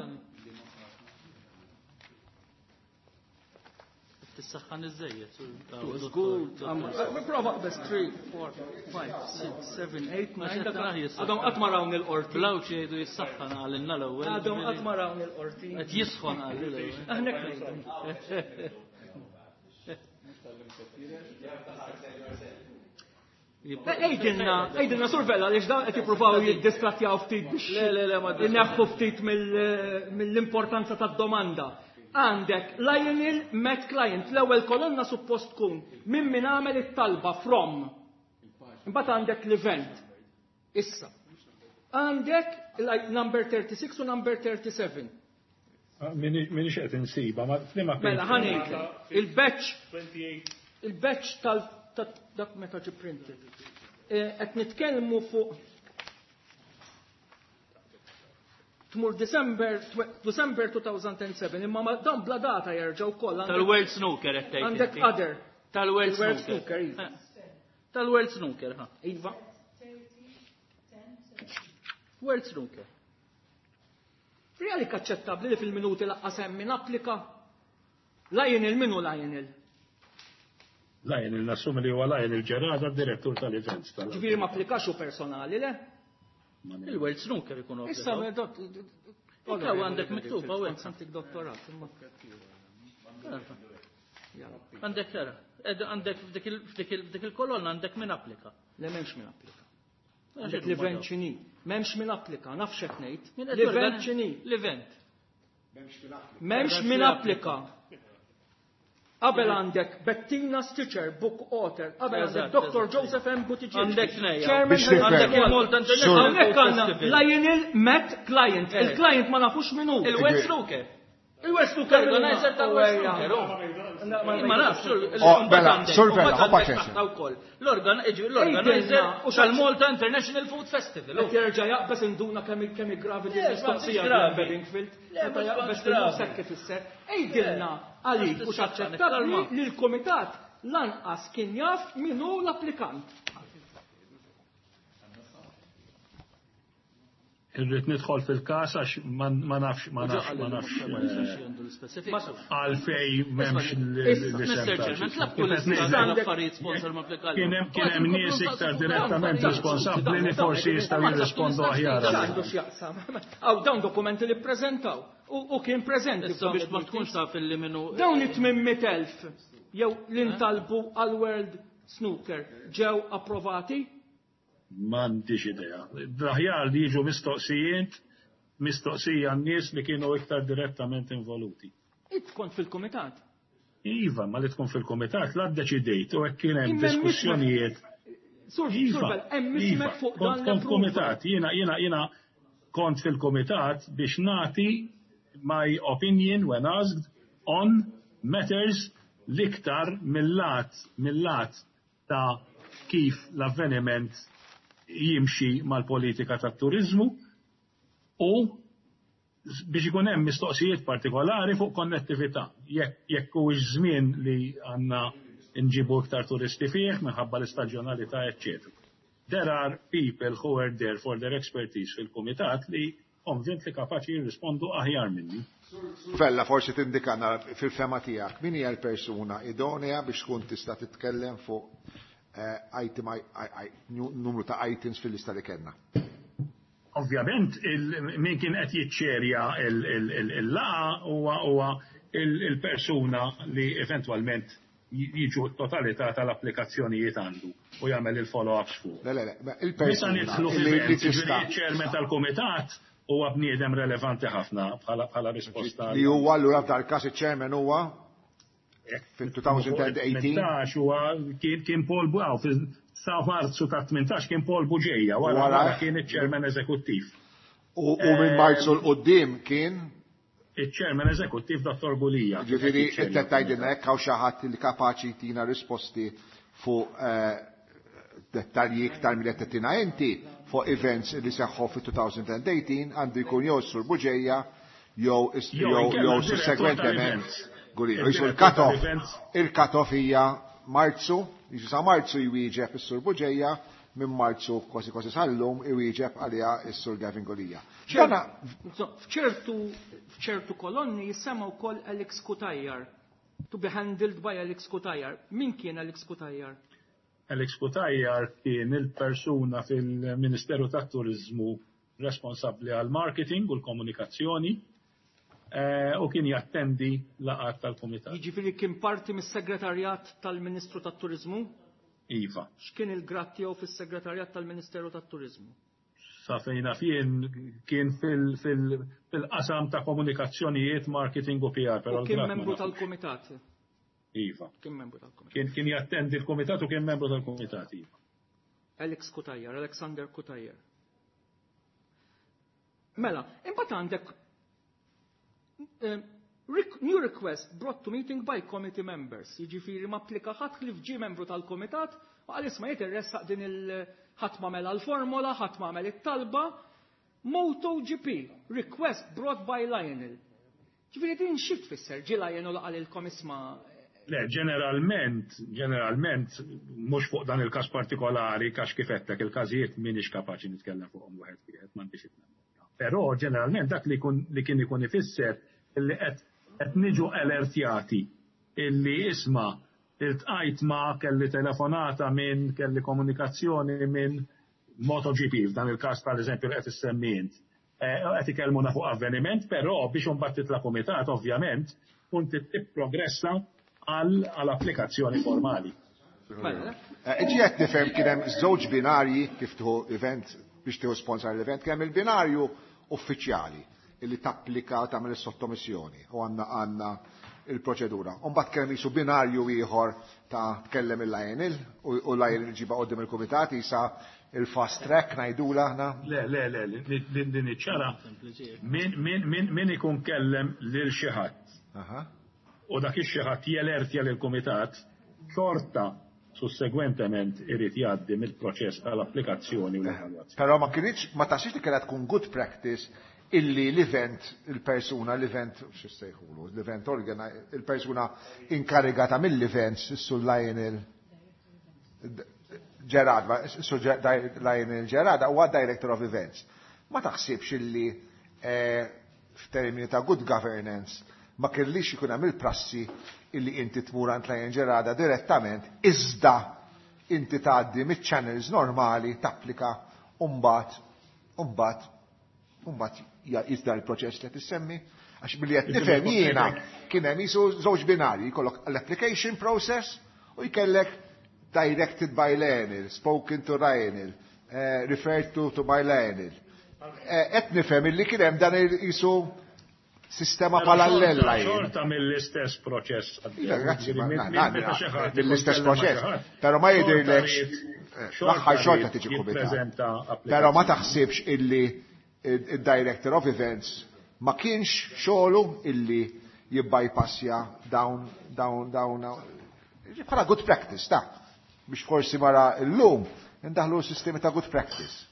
Tissaħħan iż-żejjed.
Żgur, prova qbes 3, 4, 5, 6, 7, 8, 9. Għadhom qatt ma rawn il-qorti.
Blawċ jgħidu jissaħħan għalinna l-ewwel.
Għadhom qatt ma rawn il-qorti.
Qed jisħon għalli l-ewwel.
Aħna ngħidu. Għidilna, għidilna Sur Vella għaliex dawn qed jippruvaw jiddistrattjaw ftit biex
Le, le, le, ma
ineħħu ftit mill-importanza tad-domanda. Għandek Lionel Met Client, l-ewwel kolonna suppost tkun minn min għamel it-talba from. Imbagħad għandek l-event. Issa. Għandek number 36 u number 37.
Minix qed insiba, ma f'liema
Mela ħa ngħidlek, il-batch il-batch tal dak meta ġi printed. Qed nitkellmu fuq tmur December December 2007 imma ma dan bla data jerġgħu wkoll għandek
Tal-World Snooker qed tgħid.
għandek
inti.
other.
Tal-World
Il-World
Snooker.
Snooker, iva.
Eh. Tal-World Snooker, ha.
Iva.
World Snooker.
Reali aċċettabbli li fil-minuti laqqas hemm min applika. Lionel minu Lionel?
Lionel, nassumi li huwa Lionel Gerada, direttur tal-events tal
Ġifieri ma applikax hu personali, le?
Il-World Snooker ikunu
Issa
applikaw.
dot.
Ikka għandek miktub, hawnhekk.
Santik dottorat. imma.
Għandek tara. Ed għandek f'dik il-kolonna għandek min applika.
Le m'hemmx min applika. Għandek l-event x'inhi. M'hemmx min applika, naf x'qed ngħid.
Min qed
L-event
jorganizza-
x'inhi.
L-event.
M'hemmx min applika. Qabel għandek Bettina Stitcher, book author. Qabel għandek
Eżatt,
Dr.
eżatt.
Joseph M. Buttigieg.
Għandek tnejja.
Chairman
Biex nifhem.
Għandek il-Malta International
Hawnhekk
Food
għandna
Festival.
Lionel Met Client.
Eh.
Il-client ma nafux min hu.
Il-World Snooker.
Il-West Snooker.
Organizer tal-World Snooker. oh. Ma nafx,
Oh, mela, Sur Vella, ħa paċenzja.
L-organizer
Ejdelna, u
tal-Malta International Food Festival.
Qed jerġa' jaqbeż induna kemm kemm gravi din
Le,
il-mistoqsija
m'għandix gravi.
Bedingfield.
Le,
Meta
mhux
jaqbeż
m'għandix gravi.
sekk ifisser. Ejdilna għalik u x'aċċettabbli
Kalma.
li l-kumitat lanqas kien jaf min hu l-applikant.
Irrid nidħol fil-każ għax ma nafx ma nafx ma nafx għalfej m'hemmx l-isem.
Mr. Chairman, tlab kull l-affarijiet sponsor ma applikali.
Kien hemm nies iktar direttament responsabbli li forsi jistgħu jirrispondu aħjar.
Għandu x'jaqsam. Aw dawn dokumenti li ppreżentaw u kien preżenti.
Issa biex ma tkunx taf illi minnu.
Dawn it-800,000 jew li ntalbu għal World Snooker ġew approvati?
M'għandix idea. L-aħjar li jiġu mistoqsijiet, mistoqsija n-nies li kienu iktar direttament involuti.
Int kont fil-kumitat.
Iva, ma li tkun fil-komitat, la ddeċidejt u hekk kien hemm
Imma
diskussjonijiet.
Sur,
Iva,
Sur, hemm
iva,
ismek fuq dan
kont kont
l-approval.
komitat, jiena jiena jiena kont fil-komitat biex nagħti my opinion when asked on matters l-iktar mill-lat mill-lat ta' kif l-avveniment jimxi mal-politika tat-turizmu u biex ikun hemm mistoqsijiet partikolari fuq konnettività. Jekk huwiex żmien li għandna nġibu iktar turisti fih minħabba l-istaġjonalità, eċċetera. There are people who are there for their expertise fil-kumitat li konvint li kapaċi jirrispondu aħjar minni.
Vella, forsi tindikana fil-fema tiegħek min hija l-persuna idonea biex tkun tista' titkellem fuq item, numru ta' items fil-lista li kellna.
Ovvjament, min kien qed jiċċerja il-laqgħa huwa il-persuna li eventwalment jiġu totalità tal-applikazzjonijiet għandu u jagħmel il-follow-ups fuq.
Le, le, le, ma
Meta
il-persuna
nidħlu
li li
fil-event,
tista'
il-chairman tal-kumitat huwa bniedem relevanti ħafna bħala risposta.
li huwa allura f'dal każ iċ-chairman huwa fil-2018
18 huwa kien Paul Buġeja, fil sa Marzu ta' 18 kien Paul Buġeja, wara
Wara.
wara kien iċ-chairman eżekuttiv.
u minn Marzu 'l quddiem kien
Iċ-chairman eżekuttiv Dr. Gulia.
Ġifieri inti qed tgħidilna hekk hawn xi ħadd li kapaċi jtina risposti fuq dettalji iktar milli qed tagħtina inti fuq events li seħħu fit-2018 għandu jkun jew sur Buġeja jew
Jew
jew
inkella
jew
d-direttur
sussegwentement
tal-events.
Gulia.
Il-direttur
Il-cut-off
tal-events.
il-cut-off hija Marzu, jiġu sa Marzu jwieġeb is-Sur Buġeja, minn Marzu kważi kważi sal-lum iwieġeb għaliha is-Sur Gavin Gulia. Dana
F'ċertu kolonni jissema wkoll Alex Cutajar. To be handled by Alex Cutajar. Min kien Alex Cutajar?
Alex Cutajar kien il-persuna fil-Ministeru tat-Turizmu responsabbli għal marketing u l-komunikazzjoni u kien jattendi laqgħat tal-kumitat.
Jiġifieri kien parti mis-segretarjat tal-Ministru tat-Turizmu?
Iva.
X'kien il-grad tiegħu fis-Segretarjat tal-Ministeru tat-Turiżmu?
Sa fejn naf jien kien fil-qasam ta' komunikazzjonijiet, marketing u PR, però
U kien
l-grad ma
membru
nafux.
tal-kumitat.
Iva.
Kien membru tal-kumitat.
Kien jattendi l-kumitat u kien membru tal-kumitat, iva.
Alex Cutajar, Alexander Cutajar. Mela, imbagħad għandek new request brought to meeting by committee members. Jiġifieri ma applika ħadd li ġie membru tal-kumitat u qal isma' jien irressaq din il ħadd ma mela l-formola, ħadd ma għamel it-talba. MotoGP, request brought by Lionel. Ġifieri din xi tfisser? Ġie Lionel qalilkom isma'
Le, ġeneralment, mhux fuq dan il-każ partikolari, għax kif għedtlek il-każijiet m'iniex kapaċi nitkellem fuqhom wieħed wieħed, m'għandix il-memorja. Però ġeneralment dak li kien ikun ifisser illi qed niġu alertjati illi isma' iltqajt ma' kelli telefonata minn, kelli komunikazzjoni minn MotoGP, f'dan il-każ tal-eżempju li qed issemmi int. Qed ikellmuna fuq avveniment, però biex imbagħad titla' kumitat, ovvjament, kun tipprogressa għal applikazzjoni formali.
Mela.
Ġi qed nifhem kien hemm żewġ binarji kif tieħu event biex tieħu sponsor l-event, kien hemm il-binarju uffiċjali illi tapplika tagħmel is-sottomissjoni u għandna il-proċedura. U mbagħad kien hemm jisu binarju ieħor ta' tkellem il-Lionel u Lionel ġiba qudiem il-kumitat jisa il-fast track ngħidula aħna.
Le, le, le, li niċċara min ikun kellem lil xi ħadd. U dak ix-xi ħadd jelertja lill-kumitat, xorta sussegwentement irid jgħaddi mill-proċess tal-applikazzjoni u l-evalwazzjoni.
Però ma kienx, ma taxix li kellha tkun good practice illi l-event, il-persuna, l-event, x'issejħulu, l-event il-persuna inkarigata mill-events, issu Lionel Gerard, issu Lionel Gerard, huwa Director of Events. Ma taħsibx illi f'termini ta' good governance ma kellix ikun hemm il-prassi illi inti tmur għand Lionel Gerada direttament, iżda inti tgħaddi miċ-channels normali, tapplika, u mbagħad jizda l-proċess li tissemmi. Għax billi qed nifhem jiena kien hemm jisu żewġ binarji, jkollok l-application process u jkellek directed by Lionel, spoken to Lionel, referred to by Lionel. Qed nifhem illi kien hemm dan jisu sistema parallela jien.
Xorta mill-istess proċess.
Iva, grazzi, ma-
Meta xi ħadd
mill-istess
ikun kellem ma'
proċess.
xi ħadd,
Però ma jidhirlekx,
xorta
l-aħħar xorta
jrid
tiġi kumitat.
jippreżenta
Però ma
applikazzjoni.
taħsibx illi il-Director of Events ma kienx xogħlu illi jibbypassja dawn bħala good practice ta' biex forsi mara llum indaħlu sistemi ta' good practice.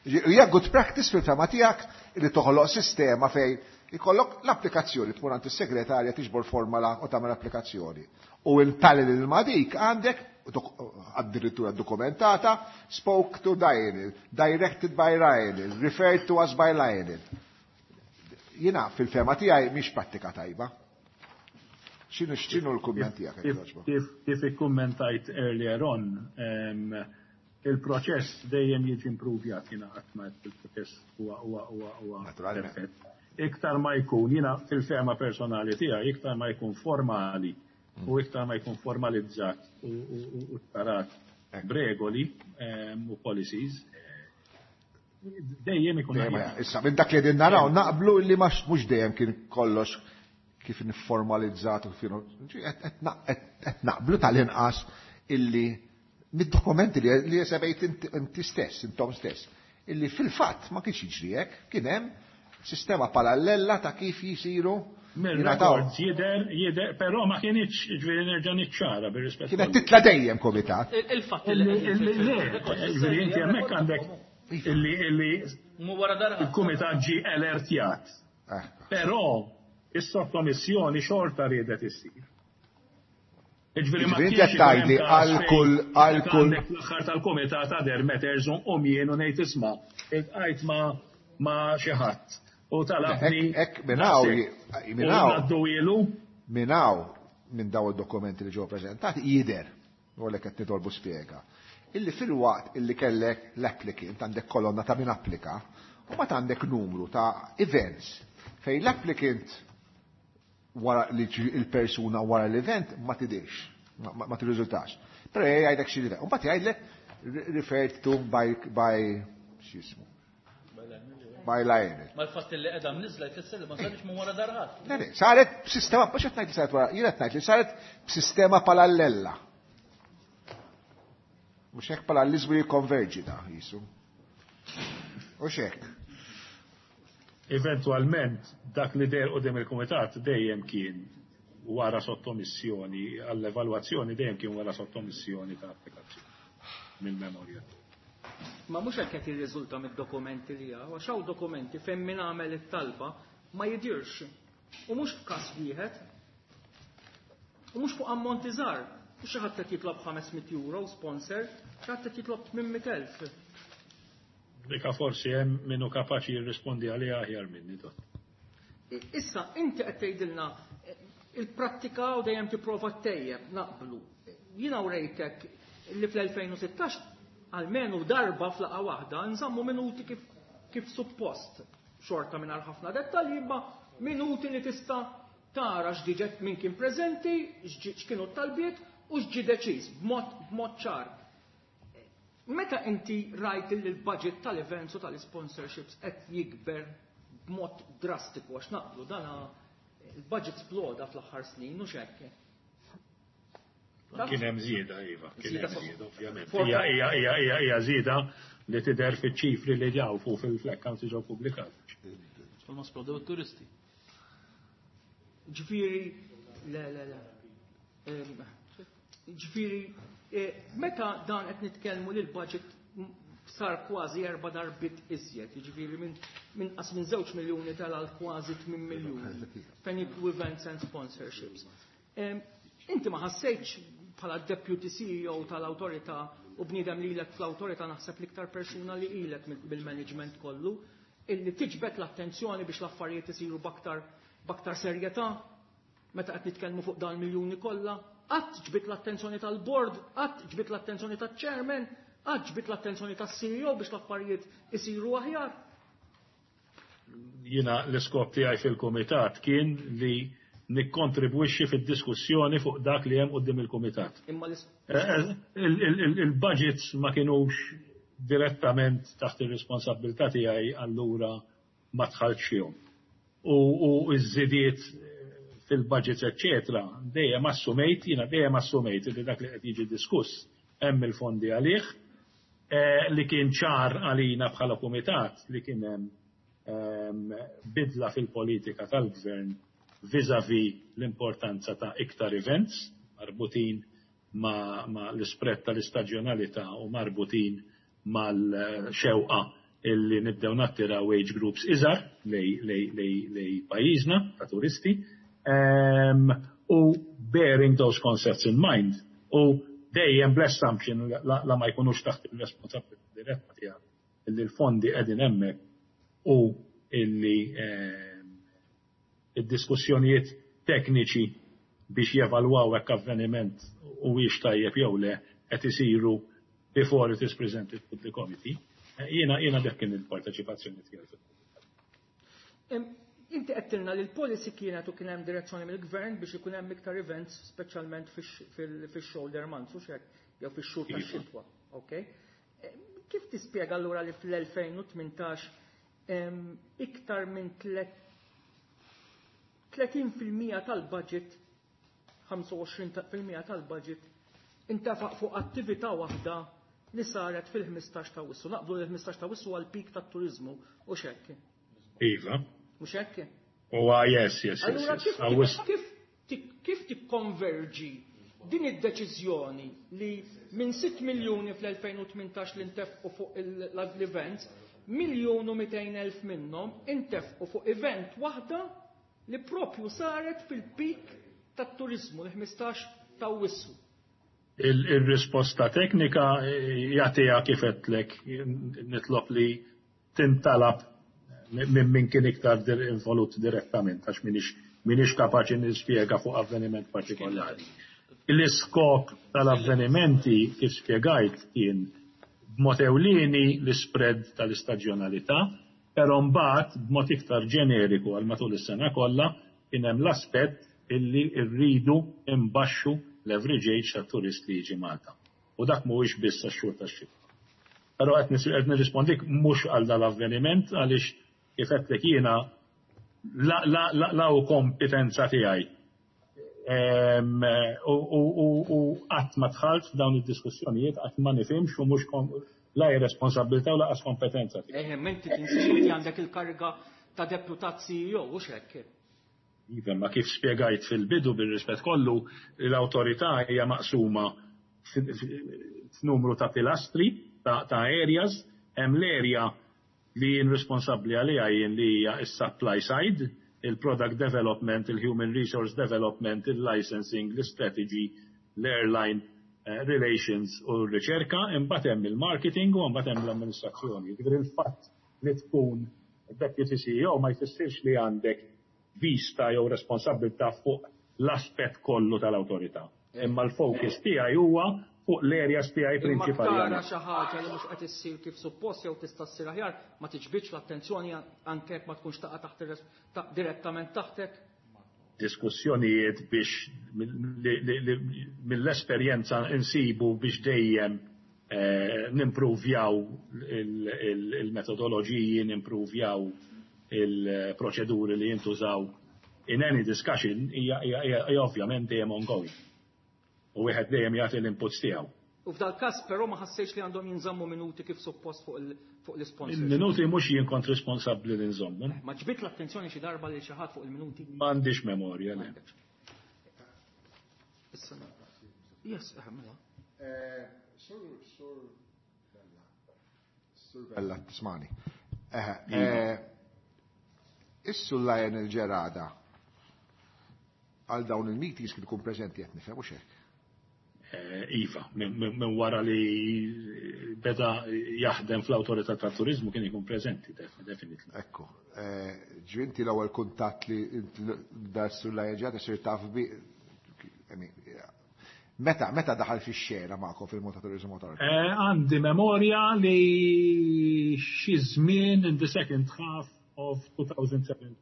Hija good practice fil-fema tiegħek illi toħloq sistema fejn ikollok l-applikazzjoni tmur għand is-segretarja tiġbor formala u tagħmel applikazzjoni. U in parallel ma' dik għandek addirittura dokumentata, spoke to Lionel, directed by Lionel, referred to us by Lionel. Jiena fil-fema tiegħi mhix prattika tajba. X'inhu l-kumment tiegħek?
Kif ikkummentajt earlier on, il-proċess dejjem jiġi improvjat, jiena qatt ma il-proċess huwa
Naturalment.
perfett. Iktar ma jkun, jiena fil-fema personali tiegħi, iktar ma jkun formali u iktar ma jkun formalizzat u tarat b'regoli u policies, dejjem ikun
Dejjem,
aħjar.
Issa, minn dak li qegħdin naraw, naqblu li mhux dejjem kien kollox kif nifformalizzat u kif qed naqblu tal-inqas illi mid-dokumenti li sebejt inti stess, intom stess, illi fil-fatt ma kienx jiġri hekk, kien hemm sistema parallela ta' kif jisiru jingħataw.
Mill-records jidher, però ma kienx, ġifieri nerġa' niċċara bir-rispett.
Kienet titla dejjem komitat.
Il-fatt li
Le, ġifieri inti hemmhekk għandek illi
Mu wara darba.
il-kumitat ġi alertjat. Però is-sottomissjoni xorta riedet issir. Ġifieri ma
Ġifieri inti
kienx
qed tgħidli
ikun hemm każ
għal kull
fejn
għal
meta
kull
għandek l-aħħar tal-kumitat other matters u jien u ngħid isma' iltqajt ma' xi ħadd u talabni
Hekk minn hawn minn
u
hawn
ngħaddu ilu
minn hawn minn daw id-dokumenti li ġew preżentati jidher, u għalhekk qed nitolbu spjega, illi fil-waqt illi kellek l-applicant għandek kolonna ta' min applika, u ma għandek numru ta' events fejn l-applicant wara li il-persuna wara l-event ma tidirx. Ma tirriżultax. Però jgħidlek xi U mbagħad jgħidlek referred to by x'jismu. By Lionel.
Ma l-fatt li qiegħda mniżla jfisser li ma sarx minn wara darħat.
Le, saret b'sistema, mhux qed ngħid li saret wara, jien qed ngħid li saret b'sistema parallela. Mhux hekk parallelizmu jikkonverġi da jisu. U hekk.
Eventualment dak li deher quddiem il-kumitat dejjem kien wara sottomissjoni għall-evalwazzjoni, dejjem kien wara sottomissjoni ta' applikazzjoni mill-memorja.
Ma mhux hekk qed jirriżulta mid-dokumenti li hawn, għax hawn dokumenti fejn min għamel it-talba ma jidirx. U mhux f'każ wieħed. U mhux fuq ammonti żgħar. U xi ħadd qed jitlob 500 euro sponsor, xi ħadd qed jitlob 800,000.
Dika forsi hemm minnu kapaċi jirrispondi għaliha aħjar minni dot.
Issa, inti qed tgħidilna il-prattika u dejjem tipprova ttejjeb, naqblu. Jiena wrejtek li fl-2016 almenu darba f'laqgħa waħda nżammu minuti kif suppost. Xorta mingħajr ħafna dettalji, imma minuti li tista' tara x'diġet min kien preżenti, x'kienu t-talbiet u x'ġi deċiż b'mod ċar. Meta inti rajt li l-budget tal-events u tal-sponsorships qed jikber b'mod drastiku, għax naqblu dana il-budget sploda fl-aħħar snin u xekk.
Kien hemm żieda, iva, kien hemm żieda, ovvjament. Hija żieda li tidher fiċ-ċifri li ġew fuq fil-accounts ġew pubblikati.
Ma splodew it-turisti.
Ġifieri, le, le, le. Ġifieri, meta dan qed nitkellmu li l-budget sar kważi erba' darbiet iżjed, jiġifieri minn qas minn 2 miljuni tal kważi 8 miljuni, fejn jidħlu events and sponsorships. Inti ma ħassejtx bħala deputy CEO tal-awtorità u bniedem lilek fl-awtorità naħseb l-iktar persuna li ilek bil-management kollu, illi tiġbed l-attenzjoni biex l-affarijiet isiru b'aktar serjetà meta qed nitkellmu fuq dan miljuni kollha, qatt ġbit l-attenzjoni tal-board, qatt ġbit l-attenzjoni tal-chairman, qatt ġbit l-attenzjoni tas-CEO biex l-affarijiet isiru aħjar.
Jiena l-iskop tiegħi fil-kumitat kien li nikkontribwixxi fid-diskussjoni fuq dak li hemm quddiem il-kumitat.
Imma
Il-budgets ma kienux direttament taħt ir-responsabilità tiegħi, allura ma dħaltx fihom. U iż-żidiet fil-budgets, eccetera, dejjem assumejt, jiena dejjem assumejt li dak li qed jiġi diskuss hemm il-fondi għalih, li kien ċar għalina bħala kumitat li kien hemm bidla fil-politika tal-gvern vis-a-vis l-importanza ta' iktar events marbutin ma l-spread tal-istaġjonalità u marbutin mal-xewqa illi nibdew nattiraw age groups iżgħar lejn pajjiżna ta' turisti. U bearing those concepts in mind u dejjem bl-assumption la ma jkunux taħt il-responsabilità diretta tiegħek illi l-fondi qegħdin hemmhekk u illi id-diskussjonijiet tekniċi biex jevalwaw hekk avveniment huwiex tajjeb jew le qed isiru before it is presented to the committee. Jiena dak kien il-parteċipazzjoni tiegħi.
Inti għedtilna li l-policy kienet u kien hemm direzzjoni mill-gvern biex ikun hemm iktar events, speċjalment fix-shoulder months u xek, jew fix-xhur tax-xitwa. Okay? Kif tispjega allura li fl-2018 iktar minn 30% tal-budget, 25% tal-budget intefaq fuq attività waħda li saret fil-15 ta' Awwissu? Naqblu li l-15 ta' Awwissu għal peak tat-turizmu u xekk.
Iva.
Mhux hekk?
Huwa yes.
Allura kif tikkonverġi din id-deċiżjoni li minn 6 miljuni fl-2018 li ntefqu fuq l-events, 1,200,000 minnhom intefqu fuq event waħda li propju saret fil-peak tat-turizmu, l-15 ta' Awwissu?
Il-risposta teknika jagħtiha kif għedtlek, nitlob li tintalab minn min kien iktar involut direttament, għax minix kapaċi nispjega fuq avveniment partikolari. L-iskop tal-avvenimenti kif spjegajt kien b'mod ewlieni l-spread tal-istaġjonalità, però mbagħad b'mod iktar ġeneriku għal matul is-sena kollha kien hemm l-aspett illi rridu imbaxxu l-average age tat-turist li jiġi Malta. U dak mhuwiex biss għax-xhur tax-xitwa. Però qed nirrispondik mhux għal dal-avveniment, għaliex kif għedtlek jiena la hu kompetenza tiegħi u qatt ma dħalt f'dawn id-diskussjonijiet, qatt ma nifhimx u mhux la hi responsabbiltà u lanqas kompetenza tiegħi.
Eħe, inti tinsiex inti għandek il-kariga ta' deputat CEO, hux hekk?
Iva, ma kif spjegajt fil-bidu, bir-rispett kollu, l-awtorità hija maqsuma f'numru ta' pilastri, ta' areas. Hemm l-area li jien responsabbli għaliha jien, li hija s-supply side, il-product development, il-human resource development, il-licensing, l-strategy, l-airline relations u r-riċerka, imbagħad hemm il-marketing u mbagħad hemm l-amministrazzjoni. Jiġifieri il-fatt li tkun deputy CEO ma jfissirx li għandek vista jew responsabbiltà fuq l-aspett kollu tal-awtorità. Imma l-focus tiegħi huwa fuq l-areas tiegħi prinċipali.
Imma tara xi ħaġa li mhux qed issir kif suppost jew tista' ssir aħjar, ma tiġbidx l-attenzjoni anke jekk ma tkunx taqa' taħt direttament taħtek?
Diskussjonijiet biex mill-esperjenza insibu biex dejjem nimpruvjaw il-metodoloġiji, nimpruvjaw il-proċeduri li jintużaw in any discussion hija ovvjament dejjem ongoing. U wieħed dejjem jagħti l-inputs tiegħu.
U f'dal każ però ma ħassejx li għandhom jinżammu minuti kif suppost fuq l-isponsors?
Il-minuti mhux jien kont responsabbli li nżommu.
Ma ġbidt l-attenzjoni xi darba lil xi ħadd fuq il-minuti?
M'għandix memorja, le.
Issa. Yes, mela.
Sur Bella. Sur Bella, tismani. Is-Sur Lionel Gerada għal dawn il-meetings kien ikun preżenti, qed nifhem, hux hekk?
Iva, minn wara li beda jaħdem fl-Awtorità tat-Turiżmu kien ikun preżenti, definitely.
Ekku, ġvinti l-ewwel kuntatt li dar Sur Lionel Gerada sir taf bi, meta daħal fix-xena magħkom fil-Malta Tourism Authority?
Għandi memorja li xi żmien in the second half of 2017.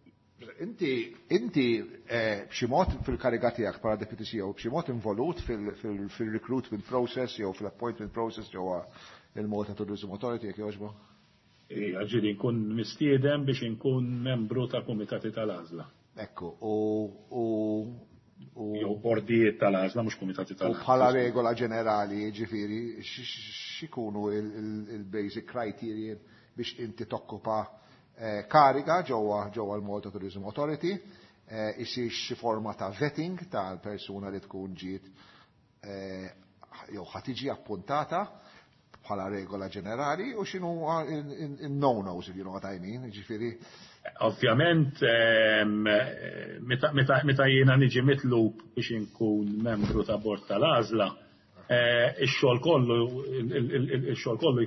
Inti b'xi mod fil-kariga tiegħek bħala Deputy CEO, b'xi mod involut fil-recruitment process jew fil-appointment process ġewwa il-Malta Tourism Authority, jekk jogħġbu?
Ija, ġieli nkun mistieden biex inkun membru ta' kumitati tal-għażla.
Ekku, u
jew bordijiet tal-għażla, mhux kumitati tal-għażla.
U bħala regola ġenerali, ġifieri, x'ikunu il-basic criteria biex inti tokkupa kariga ġewwa l-Malta Tourism Authority, isir xi forma ta' vetting tal-persuna li tkun ġiet jew ħa tiġi appuntata bħala regola ġenerali, u x'inhu in-no-nos, if you know what I mean, ġifieri?
Ovvjament, meta jiena niġi mitlub biex inkun membru ta' bord tal-għażla, ix-xogħol kollu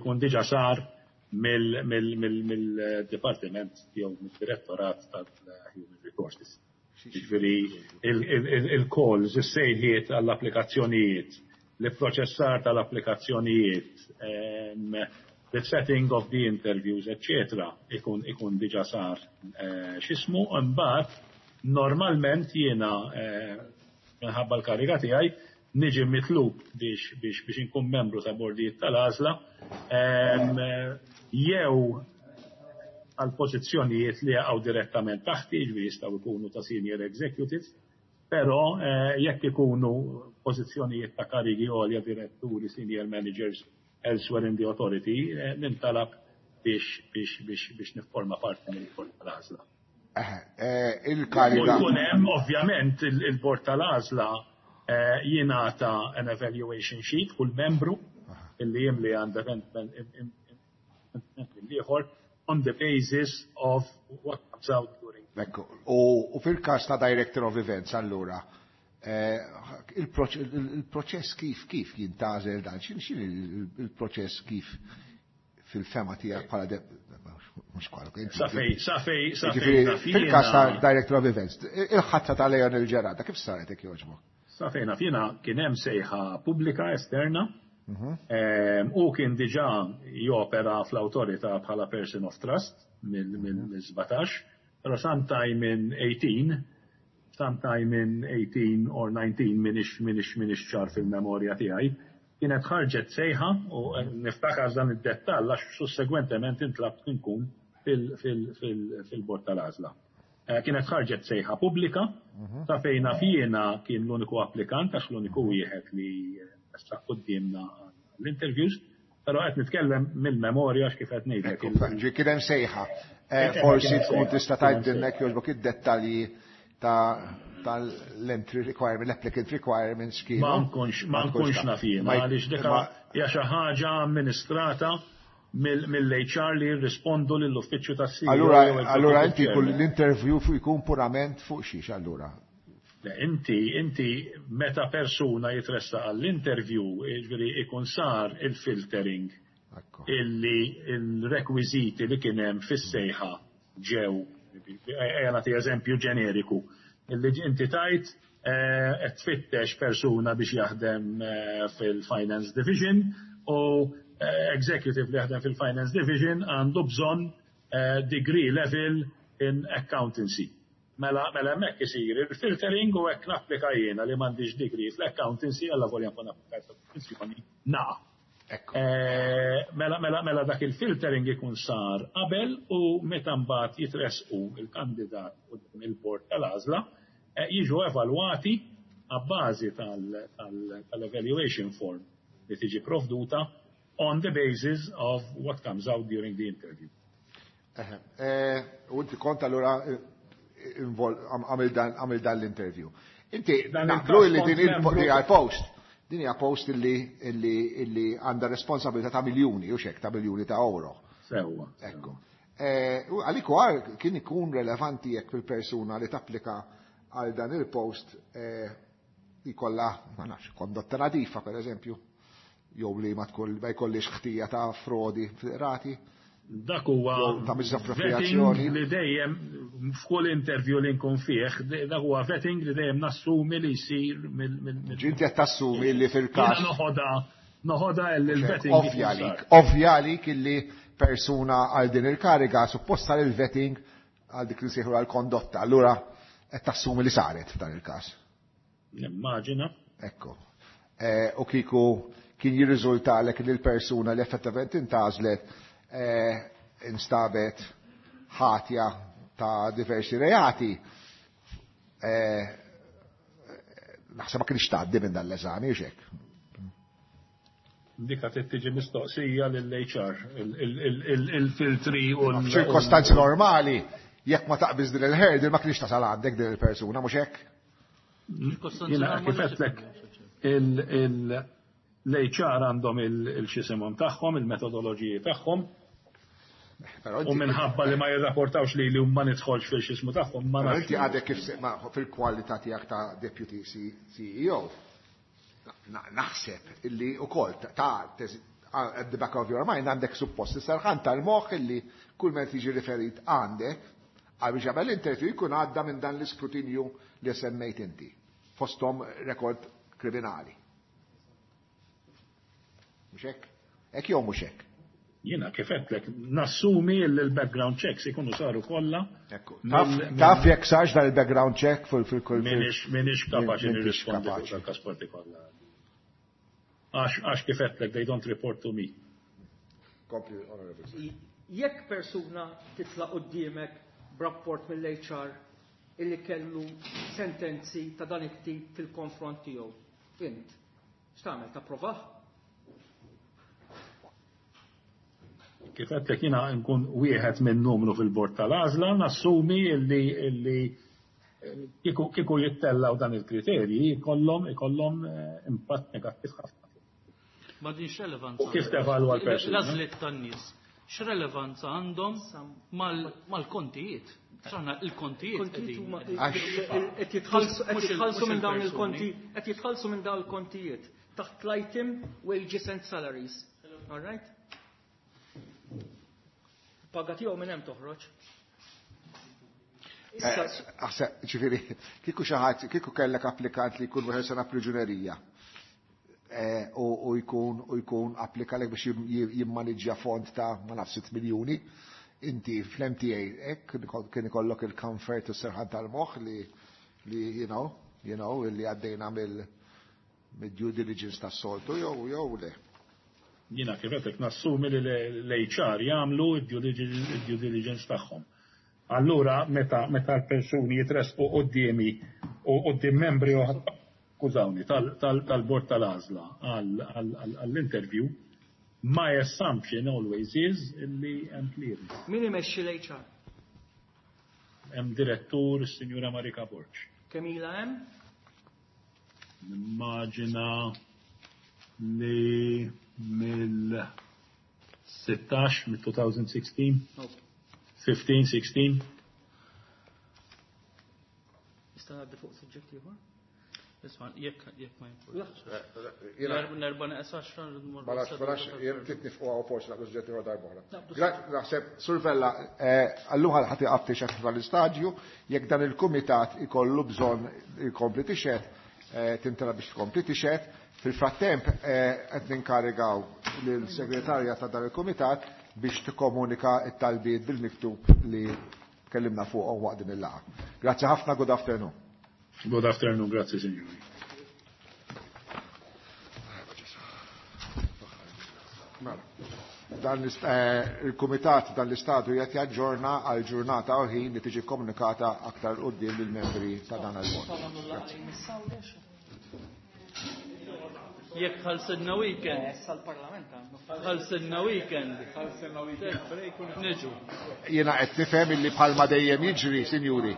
jkun diġà sar mill-dipartiment jew mid-direttorat tal-Human Resources. Ġifieri il-calls, is-sejħiet għall-applikazzjonijiet, l-proċessar tal-applikazzjonijiet, the setting of the interviews, eccetera, ikun diġà sar x'ismu, imbagħad normalment jiena minħabba l-kariga tiegħi niġi mitlub biex inkun membru ta' bordijiet tal-għażla jew għal pożizzjonijiet li jaqgħu direttament taħti, ġifieri jistgħu jkunu ta' senior executive, però jekk ikunu pożizzjonijiet ta' karigi għolja, diretturi, senior managers elsewhere in the authority, nintalab biex nifforma parti mill-bord tal-għażla.
Il-kariga.
U jkun hemm ovvjament il-bord tal-għażla jingħata an evaluation sheet kull membru illi jimli għandha ieħor on the basis of what comes out during.
Ekku, u fil-każ ta' Director of Events allura, il-proċess kif jintgħażel dan, x'in il-proċess kif fil-fema tiegħek bħala mhux kwalu, inti
Safej, safej, safej,
Ġifieri,
safej,
fil-każ ta'
jiena
Director of Events, il-ħatra ta' Lionel Gerada kif saret, jekk jogħġbok?
Safejna fina kien hemm sejħa pubblika esterna, u kien diġà jopera fl-awtorità bħala person of trust mill-17, però sometime in 18, sometime in 18 or 19, minix ċar fil-memorja tiegħi, kienet ħarġet sejħa u niftakar dan id-dettall għax sussegwentement intlabt nkun fil-bord tal-għażla. Kienet ħarġet sejħa pubblika ta' fejna fjena kien l-uniku applikant għax l-uniku wieħed li ressaq quddiemna l-interviews, però qed nitkellem mill-memorja għax kif qed ngħidlek.
Ġi kien hemm sejħa. Forsi tkun tista' tgħidilna jogħġbok id-dettalji tal-entry requirement, l-applicant requirements kienu.
Ma nkunx naf jiena, għaliex dik hija xi ħaġa amministrata mill-HR li jirrispondu lill-uffiċċju tas-CEO.
Allura inti kull l-interview jkun purament fuq xiex allura?
Le, inti meta persuna jitressa għall-interview, jiġifieri ikun sar il-filtering illi il-rekwiżiti li kien hemm fis-sejħa ġew, ejja nagħti eżempju ġeneriku, illi inti tajt qed tfittex persuna biex jaħdem fil-Finance Division u executive li jaħdem fil-Finance Division għandu bżonn degree level in accountancy. Mela hemmhekk isir il-filtering u hekk napplika jiena li m'għandix degree fl-accountancy, alla volja nkun applikajt fil-funzjoni naqa'. Mela dak il-filtering ikun sar qabel u meta mbagħad jitresqu il-kandidat quddiem il-bord tal-għażla jiġu evalwati għabbażi tal-evaluation form li tiġi provduta on the basis of what comes out during the interview.
U inti kont allura għamil dan l-interview. Inti naqblu li din il-post, din hija post illi għandha responsabilità ta' miljuni, u xek, ta' miljuni ta' euro.
Sewwa.
Ekku. U għalik għar kien ikun relevanti jekk fil-persuna li tapplika għal dan il-post jkollha, ma nafx, kondotta nadifa, per eżempju, jew li ma jkollix ħtija ta' frodi fil-rati.
Dak huwa
Jew ta' misappropriazzjoni.
vetting li dejjem f'kull interview li nkun fih, dak huwa vetting li dejjem nassumi li jsir mill-
Ġinti qed tassumi li fil-każ.
Jiena noħodha l-vetting
Ovvja
ikun
għalik,
sar.
ovvja għalik illi persuna għal din il-kariga suppost sar il-vetting għal dik li sejħu għal kondotta. Allura qed tassumi li saret f'dan il-każ.
Nimmaġina.
Ekku. U kieku kien jirriżultalek li l-persuna li effettivament intgħażlet instabet ħatja ta' diversi reati, naħseb ma kienx tgħaddi minn dan l-eżami, u xek.
Dik qed tiġi mistoqsija lill-HR, il-filtri u l-
F'ċirkostanzi normali, jekk ma taqbiż din il-hurdle ma kienx tasal għandek din il-persuna, mhux hekk?
Ċirkostanzi
Jiena
normali
kif qedlek l-HR għandhom il-xisimhom tagħhom, il-metodoloġiji tagħhom.
Però
U
inti
minħabba li ma jirrapportawx li li ma nidħolx fil-xismu tagħhom, ma
Però
nafx.
inti għadek kif ma fil-kwalità tiegħek ta' deputy CEO, naħseb illi ukoll ta' at the back of your mind għandek suppost is-serħan tal-moħħ illi kull meta jiġi riferit għandek għal biex jagħmel interview jkun għadda minn dan l-iskrutinju li semmejt inti, fosthom rekord kriminali. Mhux hekk? Hekk jew mhux hekk?
Jiena kif għedtlek, nassumi li l-background checks ikunu saru kollha.
Ekku. Taf jekk sarx dan il-background check fil-kull
Minix kapaċi
Minix
nirrispondi fuq
kapaċi.
dal-każ partikolari. Għax kif għedtlek, they don't report to me.
Kompli, Honorable.
Jekk persuna titla' quddiemek b'rapport mill-HR illi kellu sentenzi ta' dan it-tip fil-konfront tiegħu, int x'tagħmel, tapprovah?
Kif għedtlek jiena nkun wieħed minn numru fil-bord tal-għażla, nassumi illi kieku jittellaw dan il-kriterji ikollhom impatt negattiv ħafna.
Ma din x'relevanza
U kif tevalwa l-persuna?
L-għażliet tan-nies, x'relevanza għandhom mal-kontijiet? X'aħna il-kontijiet
Kontijiet
qegħdin
huma
qegħdin.
qed jitħallsu, qed
Mhux
jitħallsu minn dawn
il-persuni.
il-konti, qed jitħallsu minn dawn il-kontijiet taħt l-item wages and salaries. All right? Paga tiegħu minn hemm toħroġ. Issa
Aħseb, ġifieri, kieku xi ħadd, kieku kellek applikant li jkun wieħed sena priġunerija u jkun, u jkun applika lek biex jimmaniġġja fond ta' ma nafx 6 miljuni, inti fl-MTA hekk kien ikollok il-comfort u s-serħan tal-moħħ li li li għaddejna mill-due diligence tas-soltu jew le.
Jiena kif qed nassumi li l-HR jagħmlu d-due diligence tagħhom. Allura meta l-persuni jitresqu quddiemi u quddiem membri oħra, skużawni, tal-bord tal-għażla għall-interview, my assumption always is li hemm clearance.
Min imexxi l-HR?
Hemm direttur, is-Sinjura Marika Borg.
Kemm ilha hemm?
Nimmaġina li mill-16, mill-2016, 15, 16.
Nista' ngħaddi fuq suġġett ieħor?
Isma', jekk ma jimpurtax. Nerba' neqes 10 rrid nmur.
Ma nafx, jien ftit nifqu hawn forsi naqbdu suġġett ieħor darba oħra. Naħseb, Sur Vella, allura ħadd iqaf tixhed f'dan jekk dan il-kumitat ikollu bżonn ikompli tixhed, tintela biex tkompli tixhed. Fil-frattemp qed ninkarigaw lill-segretarja ta' dan il-kumitat biex tikkomunika t-talbiet bil-miktub li tkellimna fuqhom waqt din il-laqgħa. Grazzi ħafna, good afternoon.
Good afternoon, grazie signori.
Dan il-kumitat dan l-istadu qed jaġġorna għal ġurnata u ħin li tiġi komunikata aktar quddiem lill-membri ta' dan il-bord.
Jekk ħalsilna weekend.
Issa l-Parlament għandu.
Ħalsilna weekend.
Ħalsilna weekend break u
niġu.
Jiena qed nifhem illi bħalma dejjem jiġri, sinjuri,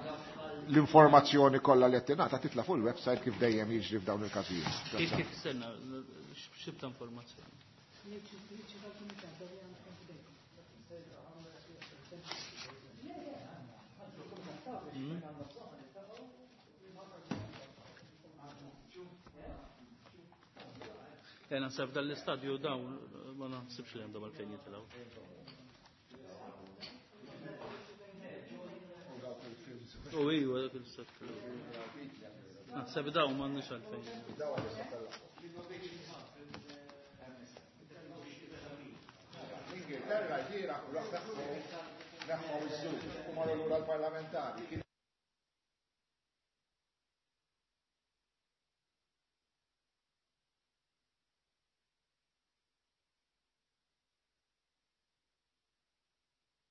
l-informazzjoni kollha li qed tingħata titla' fuq il-website kif dejjem jiġri f'dawn il-każijiet.
Kif kif stenna, x'tib ta' informazzjoni? Jena sef dal-istadju dawn ma naħsibx li għandhom għalfejn jitilgħu. U iwa dak il-set. Naħseb dawn m'għandniex għalfejn.
Ingilterra ġiera neħħu iż-żu u marru lura l-parlamentari.